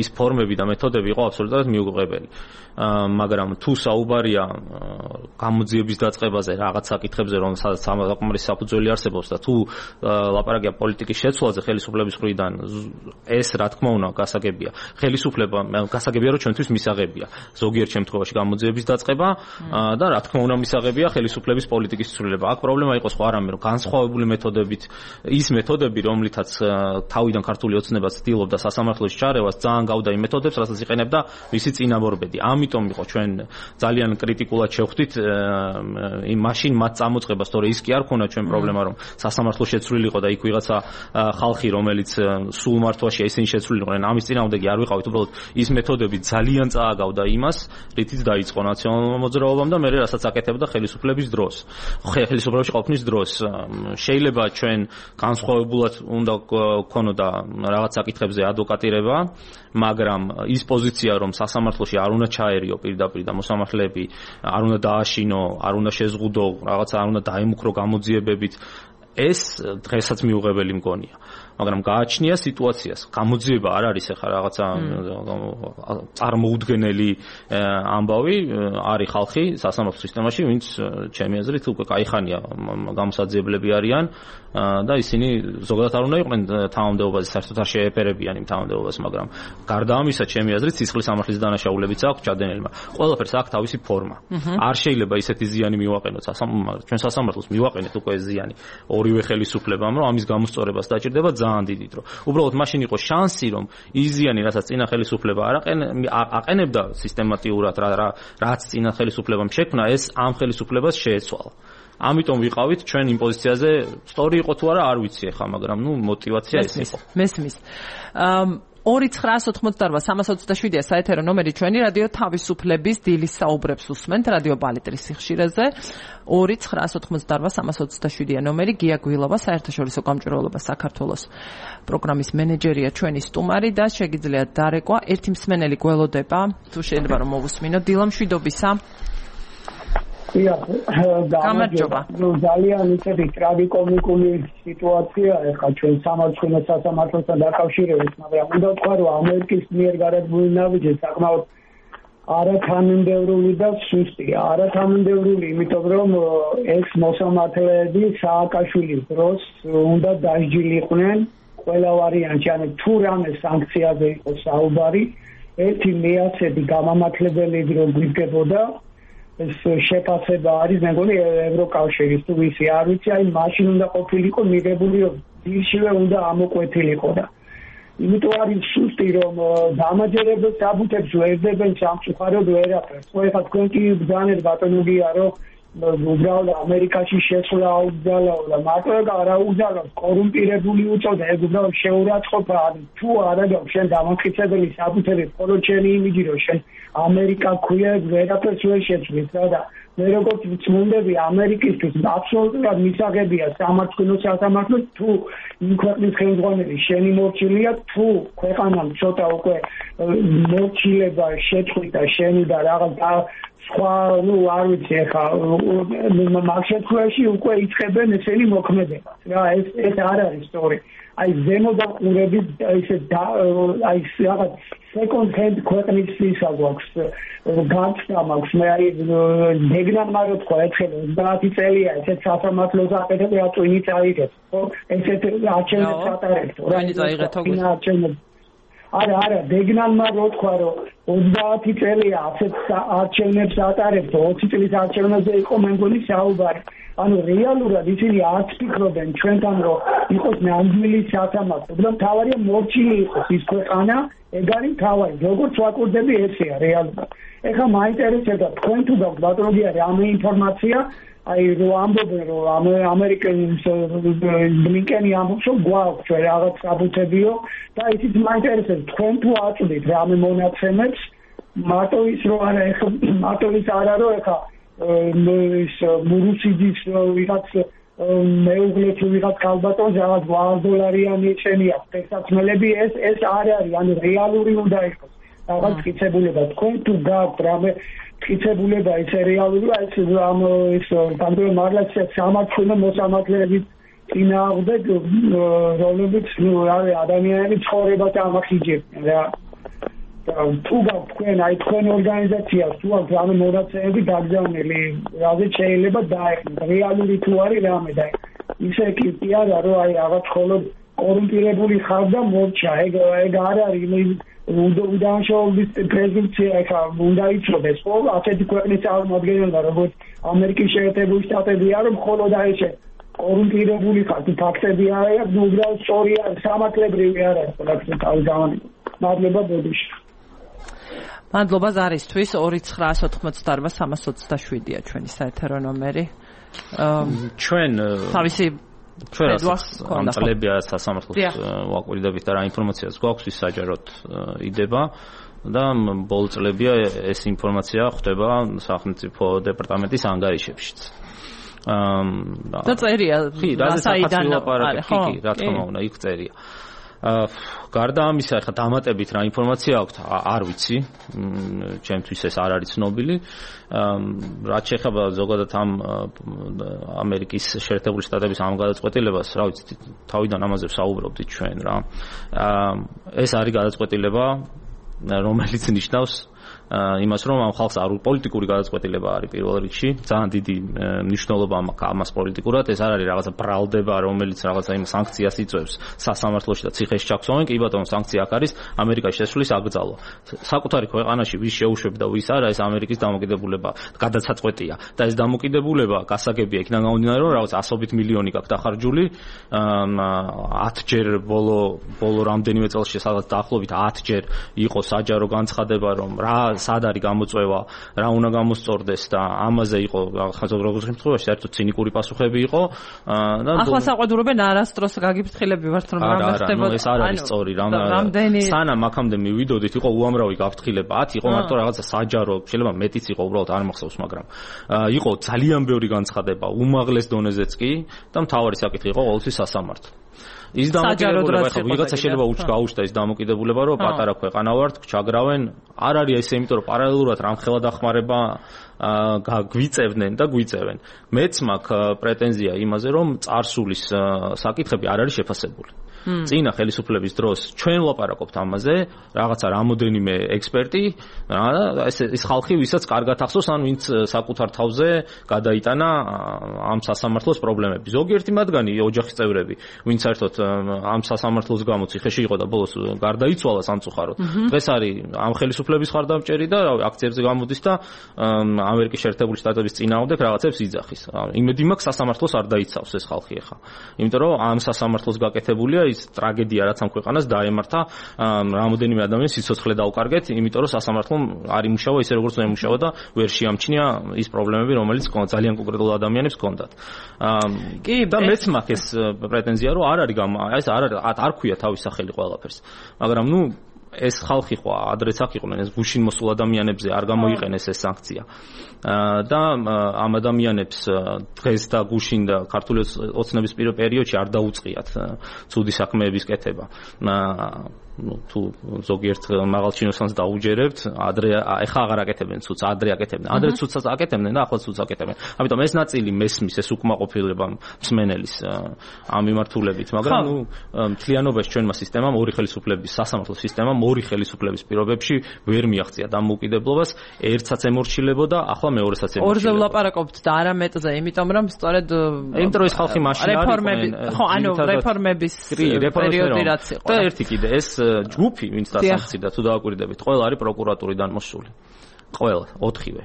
ის ფორმები და მეთოდები იყო აბსოლუტურად მიუღებელი მაგრამ თუ საუბარია გამოძიების დაწყებაზე რაღაც საკითხებზე რომ საკმარის საფუძველი არსებობს და თუ ლაპარაკია პოლიტიკის შეცვლაზე ხელისუფლების მხრიდან ეს რა თქმა უნდა გასაგებია ხელისუფლება გასაგებია რომ ჩვენთვის მისაღებია ზოგიერთ შემთხვევაში გამოძიების დაწყება და რა თქმა უნდა მისაღებია ხელისუფლების პოლიტიკის ცვლილება აქ პრობლემა იყო სხვა რამე რომ განსხვავებული მეთოდებით ის მეთოდები რომლითაც თავიდან ქართული ოცნება ცდილობდა სასამართლოში ჩარევას ძალიან გავდა იმ მეთოდებს რასაც იყენებდა მისი წინამორბედი ამიტომ იყო ჩვენ ძალიან კრიტიკულად შევხვდით იმ მაშინ მათ წამოწყებას თორე ის კი არ ქონა ჩვენ პრობლემა რომ სასამართლო შეცვლილიყო და იქ ვიღაცა ხალხი რომელიც სულ მართვაშია ისინი შეცვლილიყვნენ ამის წინააღმდეგი არ ვიყავით უბრალოდ ის მეთოდები ძალიან წააგავდა იმას რითიც დაიწყო ნაციონალურმა მოძრაობამ და მე რასაც აკეთებდა ხელისუფლების ყოფნის დროს, ხელისუფლებაში ყოფნის დროს შეიძლება ჩვენ განსხვავებულად უნდა გქონოდა რაღაც საკითხებზე ადვოკატირება, მაგრამ ის პოზიცია, რომ სასამართლოში არ უნდა ჩაერიო პირდაპირ და მოსამართლეები არ უნდა დააშინო, არ უნდა შეზღუდო, რაღაც არ უნდა დაემუქრო გამოძიებებით, ეს დღესაც მიუღებელი მგონია. მაგრამ გააჩნია სიტუაციას. გამოძიება არ არის ახლა რაღაცა წარმოუდგენელი ამბავი, არის ხალხი სასამართლო სისტემაში, ვინც ჩემი აზრით უკვე კაიხანია გამოსაძიებლები არიან და ისინი ზოგადად არ უნდა იყვნენ თანამდებობაზე, საერთოდ არ შეეფერებიან იმ თანამდებობას, მაგრამ გარდა ამისა, ჩემი აზრით, სისხლის სამართლის დანაშაულებიც აქვს ჩადენილმა. ყველაფერს აქვს თავისი ფორმა. არ შეიძლება ისეთი ზიანი მივაყენოთ ჩვენ სასამართლოს მივაყენეთ უკვე ზიანი ორივე ხელისუფლებამ, რომ ამის გამოსწორებას დაჭირდება ძალიან დიდი დრო. უბრალოდ მაშინ იყო შანსი, რომ ის ზიანი, რასაც წინა ხელისუფლება აყენებდა სისტემატიურად, რაც წინა ხელისუფლებამ შექმნა, ეს ამ ხელისუფლებას შეეცვალა. ამიტომ ვიყავით ჩვენ იმ პოზიციაზე, სწორი იყო თუ არა, არ ვიცი ახლა, მაგრამ мотивация ეს იყო. მესმის. 2-988-327-ია საეთერო ნომერი, ჩვენი რადიო თავისუფლების დილის საუბრებს უსმენთ რადიო ბალეტრის სიხშირეზე. 2-988-327-ია ნომერი, გია გვილობა, საერთაშორისო გამჭვირვალობა საქართველოს პროგრამის მენეჯერია, ჩვენი სტუმარი და შეგიძლიათ დარეკვა. ერთი მსმენელი გველოდება, თუ შეიძლება რომ მოვუსმინოთ. დილა მშვიდობისა. გამარჯობა. ძალიან ისეთი ტრაგიკომიკული სიტუაცია ახლა ჩვენ სასამართლოსთან დაკავშირებით, მაგრამ უნდა ვთქვა, რომ ამერიკის მიერ გარეგული ნაბიჯი საკმაოდ არათანმიმდევრული და სუსტია. არათანმიმდევრული, იმიტომ რომ ეს მოსამართლეები სააკაშვილის დროს უნდა დასჯილიყვნენ ყველა ვარიანტი, ანუ თუ რამე სანქციაზე იყოს საუბარი, ერთი მეათედი გამამართლებელი რო გვიგებოდა ეს შეფასება არის, მე მგონი ევროკავშირის თუ ვისი არ ვიცი, აი მაშინ უნდა ყოფილიყო მიღებული, რომ დილშივე უნდა ამოკვეთილიყო და იმიტომ არის სუსტი, რომ დამაჯერებელ საბუთებს ვერდებენ სამწუხაროდ ვერაფერს. ხო, ეხლა თქვენ კი ბრძანეთ ბატონო გია, რომ უბრალოდ ამერიკაში შესვლა აუძალაო და მარტო ეგ არ აუძალავს, კორუმპირებული უწოდა, ეგ უბრალოდ შეურაცხყოფა არის. თუ არა გაქვს შენ დამამტკიცებელი საბუთები, მხოლოდ შენი იმიჯი, რომ შენ ამერიკა ქვია, ვერაფერს ვერ შეცვლის და მე როგორც ვწმუნდები, ამერიკისთვის აბსოლუტურად მისაღებია სასამართლო თუ იმ ქვეყნის ხელმძღვანელი შენი მორჩილია, თუ ქვეყანამ ცოტა უკვე მორჩილება შეწყვიტა შენი და რაღაც სხვა, არ ვიცი ახლა მაგ შემთხვევაში უკვე იწყებენ ესენი მოქმედებას. რა ეს არ არის სწორი. აი ზემოდან ყურების ისე აი რაღაც second hand ქვეყნის ისა გვაქვს განცდა მაქვს მე აი დეგნანმა რო თქვა ერთხელ 30 წელია ესეთ სასამართლოს აკეთებ რა წვინი წაიღებს ხო ესეთ არჩევნებს ატარებთ რა წაიღეთ არა დეგნანმა რო თქვა რომ 30 წელია ასეთ არჩევნებს ატარებთ 20 წლის არჩევნებზე იყო მე მგონი საუბარი ანუ რეალურად ისინი არც ფიქრობენ ჩვენთან რომ იყოს ნამდვილი სასამართლო უბრალოდ თავარია მორჩილი იყოს ის ქვეყანა ეგ არის თავარი როგორც ვაკურდები ესეა რეალურად ეხლა მაინტერესებდა თქვენ თუ გაქვთ ბატონია რამე ინფორმაცია აი რო ამბობენ რომ ამერიკენის ბლინკენი ამბობს რომ გვაქვს რაღაც საბუთებიო და ისიც მაინტერესებს თქვენ თუ აწვდით რამე მონაცემებს მარტო ის რო არა ეხლა მარტო ის არა რომ ეხლა ის მურუსიძის ვიღაც მეუღლე თუ ვიღაც კალბატონს რაღაც $100 ეჩენია ტექსტმელები ეს არ არის ანუ რეალური უნდა იყოს რაღაც მტკიცებულება თქვენ თუ გაქვთ რამე მტკიცებულება ეს რეალური ეს ამ ის ბანდრო მარლაც სამართლო მოსამართლეების წინააღმდეგ რომლებიც არის ადამიანების ცხოვრებას ამახიჯებენ რა თუ თქვენ აი თქვენ ორგანიზაციას თუ აქვს რამე მონაცემები დაგზავნილი რაზეც შეიძლება დაეხმაროთ რეალური თუ არის რამე და ისე კი არა რომ აი რაღაც ხოლმე კორუმპირებული ხარ და მორჩა ეგ არ არის უდანაშაულობის პრეზუმპცია ეხა უნდა იცოდეს ხო ასეთი ქვეყნის წარმომადგენელთა როგორც ამერიკის შეერთებული შტატებია რომ მხოლოდ აი ეს კორუმპირებული ხარ თუ ფაქტები არის უბრალოდ სწორია სამართლებრივი არ არის ყველაფერი თავი გამომი მადლობა ბოდიში მადლობა ზარისთვის 2-988-327-ია ჩვენი საეთერო ნომერი ჩვენ თავისი ჩვენ ამ წლებია სასამართლოს ვაკვირდებით და რა ინფორმაციაც გვაქვს ის საჯაროდ იდება და ბოლო წლებია ეს ინფორმაცია ხვდება სახელმწიფო დეპარტამენტის ანგარიშებშიც. და წერია საიდან კი, რა თქმა უნდა, იქ წერია. გარდა ამისა, ხა დამატებით რა ინფორმაცია აქვს, არ ვიცი. ჩემთვის ეს არ არის ცნობილი. რაც შეეხება ზოგადად ამ ამერიკის შეერთებული შტატების ამ გადაწყვეტილებას, რა ვიცი, თავიდან ამაზე ვსაუბრობდით ჩვენ რა. ეს არის გადაწყვეტილება, რომელიც ნიშნავს იმას, რომ ამ ხალხს არ პოლიტიკური გადაწყვეტილება არის პირველ რიგში, ძალიან დიდი მნიშვნელობა ამას პოლიტიკურად, ეს არ არის რაღაცა ბრალდება, რომელიც რაღაცა იმ სანქციას იწვევს სასამართლოში და ციხეში ჩაქსოვენ, კი ბატონო, სანქცია აქ არის ამერიკაში შესulis აკრძალვა. საკუთარი ქვეყანაში ვის შეუშვებდა, ვის არა, ეს ამერიკის დამოკიდებულება, გადაწყვეტია და ეს დამოკიდებულება გასაგებია იქიდან გამომდინარე, რომ რაღაცა 100 მილიონი გაქვს დახარჯული, 10ჯერ ბოლო რამდენიმე წელში სადაც დაახლოებით 10ჯერ იყო საჯარო განცხადება, რომ რა სად არის გამოწვევა, რა უნდა გამოსწორდეს და ამაზე იყო როგორც შემთხვევაში საერთოდ ცინიკური პასუხები იყო და ახლა საყვედურობენ არასდროს გაგიფრთხილები ვართ რომ რა ხდებოდა. ეს არ არის სწორი, სანამ აქამდე მივიდოდით იყო უამრავი გაფრთხილება, 10 იყო მარტო რაღაცა საჯარო, შეიძლება მეტიც იყო, უბრალოდ არ მახსოვს, მაგრამ იყო ძალიან ბევრი განცხადება, უმაღლეს დონეზეც კი და მთავარი საკითხი იყო ყოველთვის სასამართლო. ის დამოკიდებულება ხო ვიღაცა შეიძლება გაუჩნდა ის დამოკიდებულება, რომ პატარა ქვეყანა ვართ, ჩაგრავენ, არ არის ესე, იმიტომ რომ პარალელურად რამხელა დახმარება გვიწევდნენ და გვიწევენ. მეც მაქვს პრეტენზია იმაზე, რომ წარსულის საკითხები არ არის შეფასებული. წინა ხელისუფლების დროს ჩვენ ვლაპარაკობთ ამაზე, რაღაცა რამოდენიმე ექსპერტი, ეს ხალხი, ვისაც კარგად ახსოვს, ან ვინც საკუთარ თავზე გადაიტანა ამ სასამართლოს პრობლემები. ზოგიერთი მათგანი ოჯახის წევრები, ვინც საერთოდ ამ სასამართლოს გამო ციხეში იყო და ბოლოს გარდაიცვალა სამწუხაროდ. დღეს არის ამ ხელისუფლების ხარდამჭერი და აქციებზე გამოდის და ამერიკის შეერთებული შტატების წინააღმდეგ რაღაცებს იძახის. იმედი მაქვს სასამართლოს არ დაიცავს ეს ხალხი ახლა. იმიტომ რომ ამ სასამართლოს გაკეთებულია ის ტრაგედია, რაც ამ ქვეყანას დაემართა, რამოდენიმე ადამიანის სიცოცხლე დაუკარგეთ, იმიტომ რომ სასამართლომ არ იმუშავა ისე როგორც უნდა იმუშავა და ვერ შეამჩნია ის პრობლემები, რომელიც ძალიან კონკრეტულ ადამიანებს ჰქონდათ. კი, და მეც მაქვს ეს პრეტენზია, რომ არ არის ეს არ ქვია თავის სახელი ყველაფერს. მაგრამ ეს ხალხი ხო ადრეც აქ იყვნენ, ეს გუშინ მოსულ ადამიანებზე არ გამოიყენეს ეს სანქცია. და ამ ადამიანებს დღეს და გუშინ და ქართული ოცნების პერიოდში არ დაუწყიათ ცუდი საქმეების კეთება. თუ ზოგიერთ მაღალ ჩინოსანს დაუჯერებთ, ეხა აღარ აკეთებენ ცუცს, ადრე აკეთებდნენ. ადრე ცუცსაც აკეთებდნენ და ახლა ცუცს აკეთებენ. ამიტომ ეს ნაწილი მესმის, ეს უკმაყოფილება მსმენელის ამ მიმართულებით, მაგრამ მთლიანობაში ჩვენმა სისტემამ, ორი ხელისუფლების, სასამართლო სისტემამ ორი ხელისუფლების პირობებში ვერ მიაღწია დამოუკიდებლობას, ერთსაც ემორჩილებოდა, ახლა მეორესაც ემორჩილება. ორზე ვლაპარაკობთ და არა მეტზე, იმიტომ რომ სწორედ იმიტომ რომ ეს ხალხი მაშინ არის ხო, ანუ რეფორმების პერიოდი რაც იყო. და ერთი კიდე ეს ჯგუფი, ვინც დასამცირდა, თუ დააკვირდებით, ყველა არის პროკურატურიდან მოსული. ყველა, 4-ვე.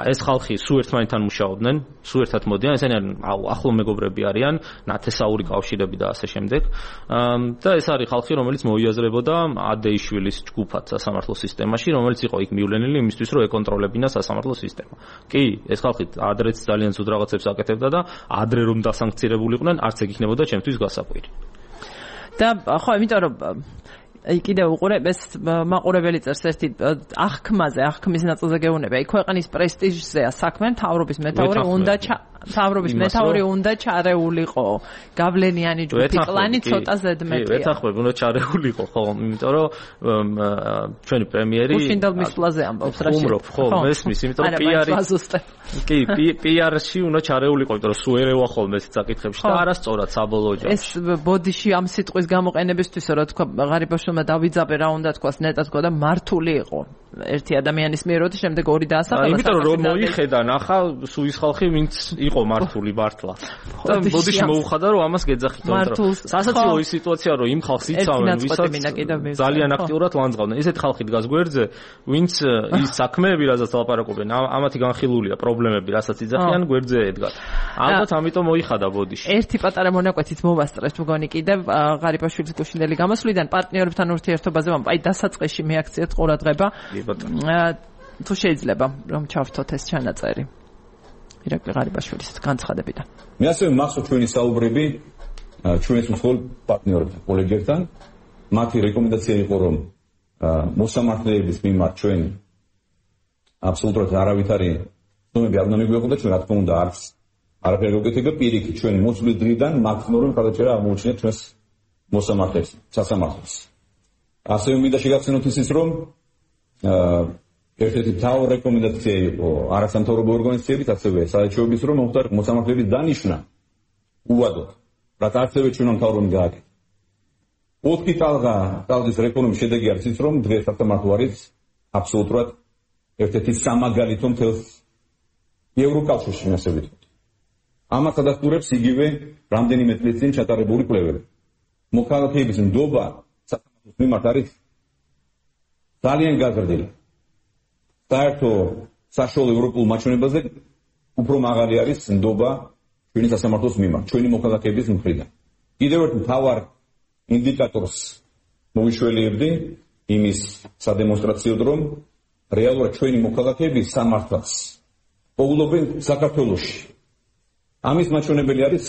ეს ხალხი სულ ერთმანეთთან მუშაობდნენ, სულ ერთად მოდიან, ესენი ახლო მეგობრები არიან, ნათესაური კავშირები და ასე შემდეგ. და ეს არის ხალხი, რომელიც მოიაზრებოდა ადეიშვილის ჯგუფად სასამართლო სისტემაში, რომელიც იყო იქ მივლენილი იმისთვის, რომ ეკონტროლებინა სასამართლო სისტემა. კი, ეს ხალხი ადრეც ძალიან ცუდ რაღაცებს აკეთებდა და ადრე რომ დასანქცირებულიყვნენ, არც ეგ იქნებოდა ჩემთვის გასაკვირი. და ხო, იმიტომ რომ კიდევ უყურებ ეს მაყურებელი წერს ერთი აღქმის ნაწილზე გეუბნება. იქ ქვეყნის პრესტიჟზეა საქმე, მთავრობის მეთაური უნდა ჩარეულიყო. გავლენიანი ჯგუფი პლანი ცოტა ზედმეტია. ვეთანხმები, უნდა ჩარეულიყო, ხო, იმიტომ რომ ჩვენი პრემიერი გუშინდელ მისვლაზე ამბობს რა შეუ. ხო, მესმის, იმიტომ რომ PR-ში უნდა ჩარეულიყო, იმიტომ რომ სულ ერევა ხოლმე ეს საკითხებში და არასწორად საბოლოო ჯამში. ეს ბოდიში ამ სიტყვის გამოყენებისთვის რა თქვა ღარიბაშვილმა დავიძაბე რა უნდა თქვას, ნეტად თქვა და მართული იყო. ერთი ადამიანის მიერ როდი შემდეგ ორი დაასახელა. იმიტომ რომ მოიხედა, ნახა სულ ის ხალხი, ვინც იყო მართული მართლა. და ბოდიში მოუხადა რომ ამას გეძახით. სასაცილო ის სიტუაცია რომ იმ ხალხს იცავენ, ვისაც ძალიან აქტიურად ლანძღავდნენ. ესეთ ხალხი დგას გვერდზე, ვინც ის საქმეები, რასაც ლაპარაკობენ, ამათი განხილულია პრობლემები, რასაც იძახიან, გვერდზე ედგათ. ალბათ ამიტომ მოიხადა ბოდიში. ერთი პატარა მონაკვეთით მოვასწრეთ მგონი კიდევ ღარიბაშვილის გუშინდელი გამოსვლიდან პარტნიორებთან ურთიერთობაზე აი დასაწყისში მეაქციეთ ყურადღება. თუ შეიძლება რომ ჩავთოთ ეს ჩანაწერი ირაკლი ღარიბაშვილის განცხადებიდან. მე ასევე მახსოვს ჩვენი საუბრები ჩვენს მსხვილ პარტნიორებთან, კოლეგებთან. მათი რეკომენდაცია იყო რომ მოსამართლეების მიმართ ჩვენ აბსოლუტურად არავითარი ცნობები არ უნდა მიგვეღო და ჩვენ რა თქმა უნდა არაფერი გეკეთება პირიქით ჩვენ მოსვლის დღიდან მაქსიმალური მხარდაჭერა აღმოუჩინეთ ჩვენს მოსამართლეებს სასამართლოს. ასევე მინდა შეგახსენოთ ისიც რომ ერთ-ერთი მთავარი რეკომენდაცია იყო არასამთავრობო ორგანიზაციებით ასევე საერთაშორისო რომ მოხდარ მოსამართლეების დანიშვნა უვადოდ რაც ასევე ჩვენ მთავრობამ გააკეთა. 4 ტალღის რეფორმის შედეგი არის ის რომ დღეს სასამართლო არის აბსოლუტურად ერთ-ერთი სამაგალითო მთელს ევროკავშირში ასე ვიტყვით. ამას ადასტურებს იგივე რამდენიმე წლის წინ ჩატარებული კვლევები. მოქალაქეების ნდობა სასამართლოს მიმართ არის ძალიან გაზრდილი. საერთო საშუალო ევროპულ მაჩვენებაზე უფრო მაღალი არის ნდობა ჩვენი სასამართლოს მიმართ, ჩვენი მოქალაქეების მხრიდან. კიდევ ერთ მთავარ ინდიკატორს მოვიშველიებდი იმის სადემონსტრაციოდ რომ რეალურად ჩვენი მოქალაქეები სამართალს პოულობენ საქართველოში. ამის მაჩვენებელი არის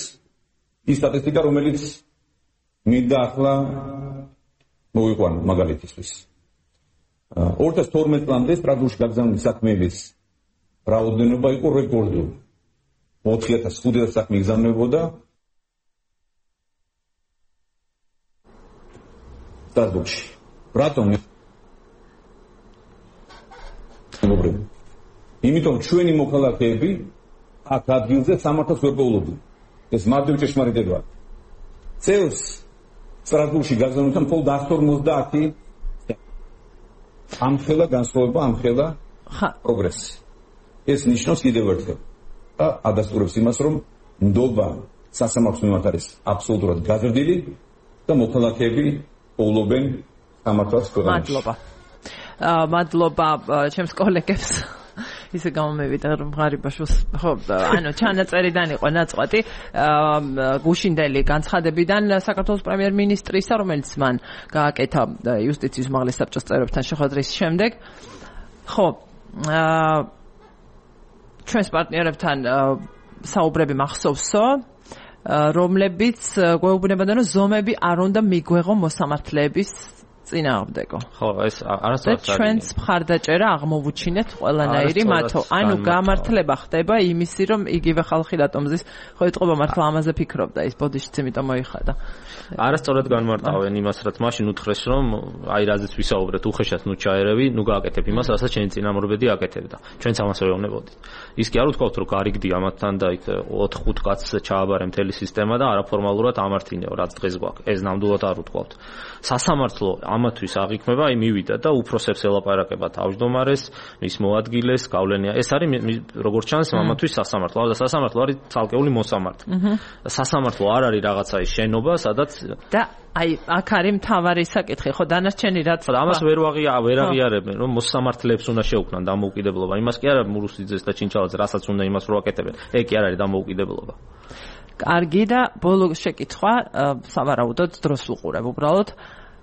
ის სტატისტიკა რომელიც მინდა ახლა მოვიყვანო მაგალითისთვის. 2012 წლამდე სტრასბურგში გაგზავნილი საქმეების რაოდენობა იყო რეკორდული. 4500 საქმე იგზავნებოდა სტრასბურგში. რატომ? იმიტომ ჩვენი მოქალაქეები აქ ადგილზე სამართალს ვერ პოულობდნენ. ეს მარტივი ჭეშმარიტებაა. წელს სტრასბურგში გაგზავნილთან მხოლოდ 150 ამხელა განსხვავება, ამხელა პროგრესი. ეს ნიშნავს კიდევ ერთხელ და ადასტურებს იმას, რომ ნდობა სასამართლოს მიმართ არის აბსოლუტურად გაზრდილი და მოქალაქეები პოულობენ სამართალს ქვეყანაში. მადლობა ჩემს კოლეგებს. ისე გამომივიდა რომ ღარიბაშოს ხო ანუ ჩანაწერიდან იყო ნაწყვეტი გუშინდელი განცხადებიდან საქართველოს პრემიერ-მინისტრისა რომელიც მან გააკეთა იუსტიციის უმაღლეს საბჭოს წევრებთან შეხვედრის შემდეგ ხო ჩვენს პარტნიორებთან საუბრები მახსოვსო რომლებიც გვეუბნებოდა რომ ზომები არ უნდა მიგვეღო მოსამართლეების წინააღმდეგო. ხო, ეს არასდროს ჩვენს მხარდაჭერა აღმოვუჩინეთ ყველანაირი მათო. ანუ გამართლება ხდება იმისი, რომ იგივე ხალხი რატომზის ხო ეთყობა მართლა ამაზე ფიქრობდა ის ბოდიშიც იმიტომ მოიხადა. არასწორად განმარტავენ იმას, რაც მაშინ უთხრეს, რომ აი რაზეც ვისაუბრეთ, უხეშად ნუ ჩაერევი, ნუ გააკეთებ იმას, რასაც შენი წინამორბედი აკეთებდა. ჩვენც ამას ვეუბნებოდით. ის კი არ უთქვათ, რომ გარიგდი ამათთან და იქ 4-5 კაცს ჩააბარე მთელი სისტემა და არაფორმალურად ამართინეო, რაც დღეს გვაქვს. ეს ნამდვილად არ უთქვათ. სასამართლო ამათვის აღიქმება, აი მივიდა და უფროსებს ელაპარაკება თავმჯდომარეს, მის მოადგილეს, გავლენია. ეს არის როგორც ჩანს ამათვის სასამართლო. და სასამართლო არის ცალკეული მოსამართლე. სასამართლო არ არის რაღაცა ის შენობა, სადაც და აი აქ არის მთავარი საკითხი, ხო დანარჩენი რაც ამას ვერ აღიარებენ, რომ მოსამართლეებს უნდა შეუქმნან დამოუკიდებლობა. იმას კი არა მურუსიძეს და ჩინჩალაძე, რასაც უნდა იმას რო აკეთებენ. ეგ კი არ არის დამოუკიდებლობა. კარგი და ბოლო შეკითხვა, სავარაუდოდ დროს ვუყურებ უბრალოდ.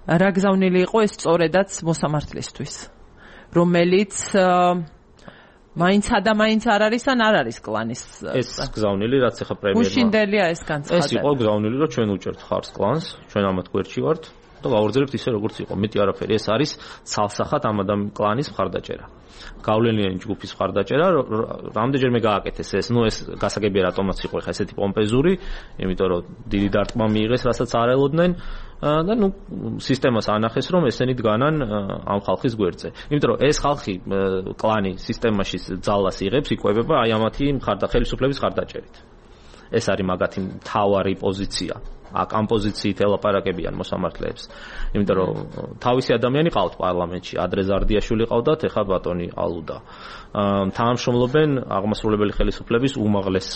რა გზავნილი იყო ეს სწორედაც მოსამართლისთვის, რომელიც მაინცა და მაინც არ არის ან არ არის კლანის ეს გზავნილი რაც ახლა პრემიერმა გუშინდელია ეს განცხადება. ეს იყო გზავნილი, რომ ჩვენ უჭერთ ხარს კლანს, ჩვენ ამათ გვერდში ვართ და გავაგრძელებთ ისე როგორც იყო. მეტი არაფერი, ეს არის ცალსახად ამ კლანის მხარდაჭერა. გავლენიანი ჯგუფის მხარდაჭერა, რამდენჯერმე გააკეთეს ეს, ნუ ეს გასაგებია რატომაც იყო ხა ესეთი პომპეზური, იმიტომ რომ დიდი დარტყმა მიიღეს, რასაც არ ელოდნენ და ნუ სისტემას ანახეს, რომ ესენი დგანან ამ ხალხის გვერდზე. იმიტომ რომ ეს ხალხი კლანი სისტემაში ძალას იღებს, იკვებება აი ამათი ხელისუფლების მხარდაჭერით. ეს არის მაგათი მთავარი პოზიცია. აქ ამ პოზიციით ელაპარაკებიან მოსამართლეებს. იმიტომ რომ თავისი ადამიანი ყავთ პარლამენტში, ადრე ზარდიაშვილი ყავდათ, ეხლა ბატონი ალუდა. თანამშრომლობენ აღმასრულებელი ხელისუფლების უმაღლეს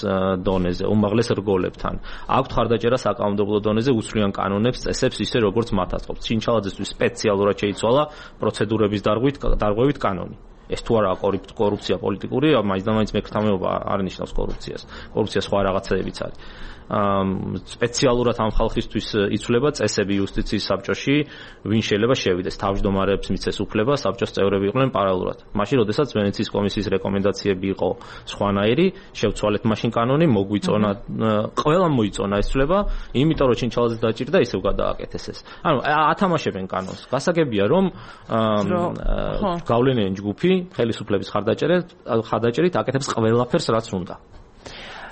დონეზე, უმაღლეს რგოლებთან. აქვთ მხარდაჭერა საკანონმდებლო დონეზე, უსწრიან კანონებს, წესებს ისე როგორც მათ აწყობს. ჩინჩალაძესთვის სპეციალურად შეიცვალა პროცედურების დარღვევით კანონი. ეს თუ არა კორუფცია პოლიტიკური, მაინც და მაინც მეკრთამეობა არ ნიშნავს კორუფციას. კორუფცია სხვა რაღაცებიც არის. სპეციალურად ამ ხალხისთვის იცვლება წესები იუსტიციის საბჭოში, ვინ შეიძლება შევიდეს. თავმჯდომარეებს მიცეს უფლება, საბჭოს წევრები იყვნენ პარალელურად. მაშინ, როდესაც ვენეციის კომისიის რეკომენდაციები იყო სხვანაირი, შევცვალეთ მაშინ კანონი, მოგვიწონა, ყველამ მოიწონა ეს ცვლილება, იმიტომ რომ ჩინჩალაძე დაჭირდა, ისევ გადააკეთეს ეს. ანუ ათამაშებენ კანონს. გასაგებია, რომ გავლენიანი ჯგუფი ხელისუფლების ხარდაჭერით აკეთებს ყველაფერს, რაც უნდა.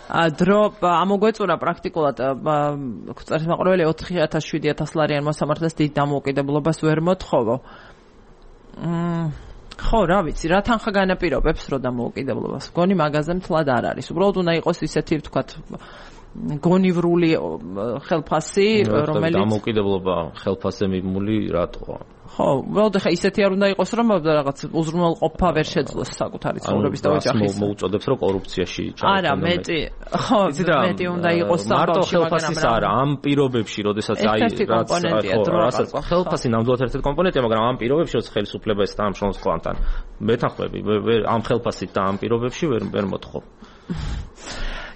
დრო ამოგვეწურა პრაქტიკულად წერის მაყურებელი 4000-7000 ლარიან მოსამართლეს დიდ დამოუკიდებლობას ვერ მოთხოვო. ხო, რა ვიცი, რა თანხა განაპირობებს რო დამოუკიდებლობას. გონი მაგაზე მთლად არ არის. უბრალოდ უნდა იყოს ისეთი, ვთქვათ, გონივრული ხელფასი, რომელიც დამოუკიდებლობა ხელფასზე მიმული რატოა? ხო, უბრალოდ ხა ისეთი არ უნდა იყოს, რომ რაღაც უზრუნველყოფა ვერ შეძლოს საკუთარი ცხოვრების და ოჯახის. მოუწოდებს რომ კორუფციაში ჩაერთო. არა, მეტი, ხო, მეტი უნდა იყოს საბავშვო, მაგრამ არა, ამ პირობებში, როდესაც რასაც ხელფასი ნამდვილად ერთ-ერთი კომპონენტია, მაგრამ ამ პირობებში, როცა ხელისუფლება ეს თანამშრომლობს ყველთან, მეთანხმები, ამ ხელფასით და ამ პირობებში ვერ მოთხოვ.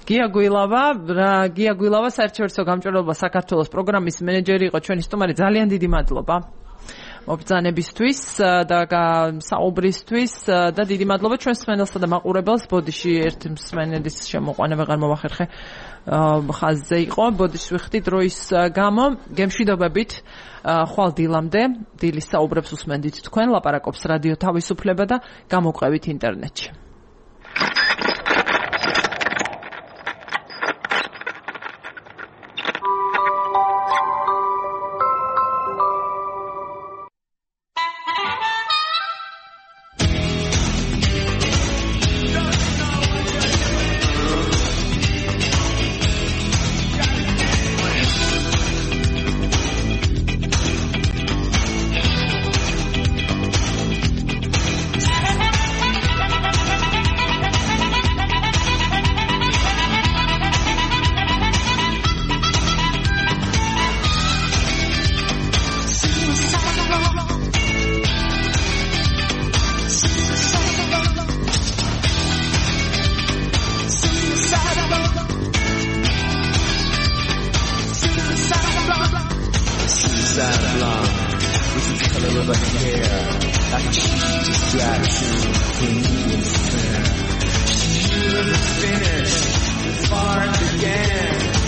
გია გვილავა საერთაშორისო გამჭვირვალობა საქართველოს პროგრამის მენეჯერი იყო ჩვენი სტუმარი. ძალიან დიდი მადლობა მობრძანებისთვის და საუბრისთვის და დიდი მადლობა ჩვენს მსმენელსა და მაყურებელს. ბოდიში ერთ მსმენელის შემოყვანა ვეღარ მოვახერხე ხაზზე იყო. ბოდიში ვიხდი დროის გამო. გემშვიდობებით ხვალ დილამდე დილის საუბრებს უსმენდით თქვენ. ლაპარაკობს რადიო თავისუფლება და გამოგვყევით ინტერნეტში. Finish, it's far again.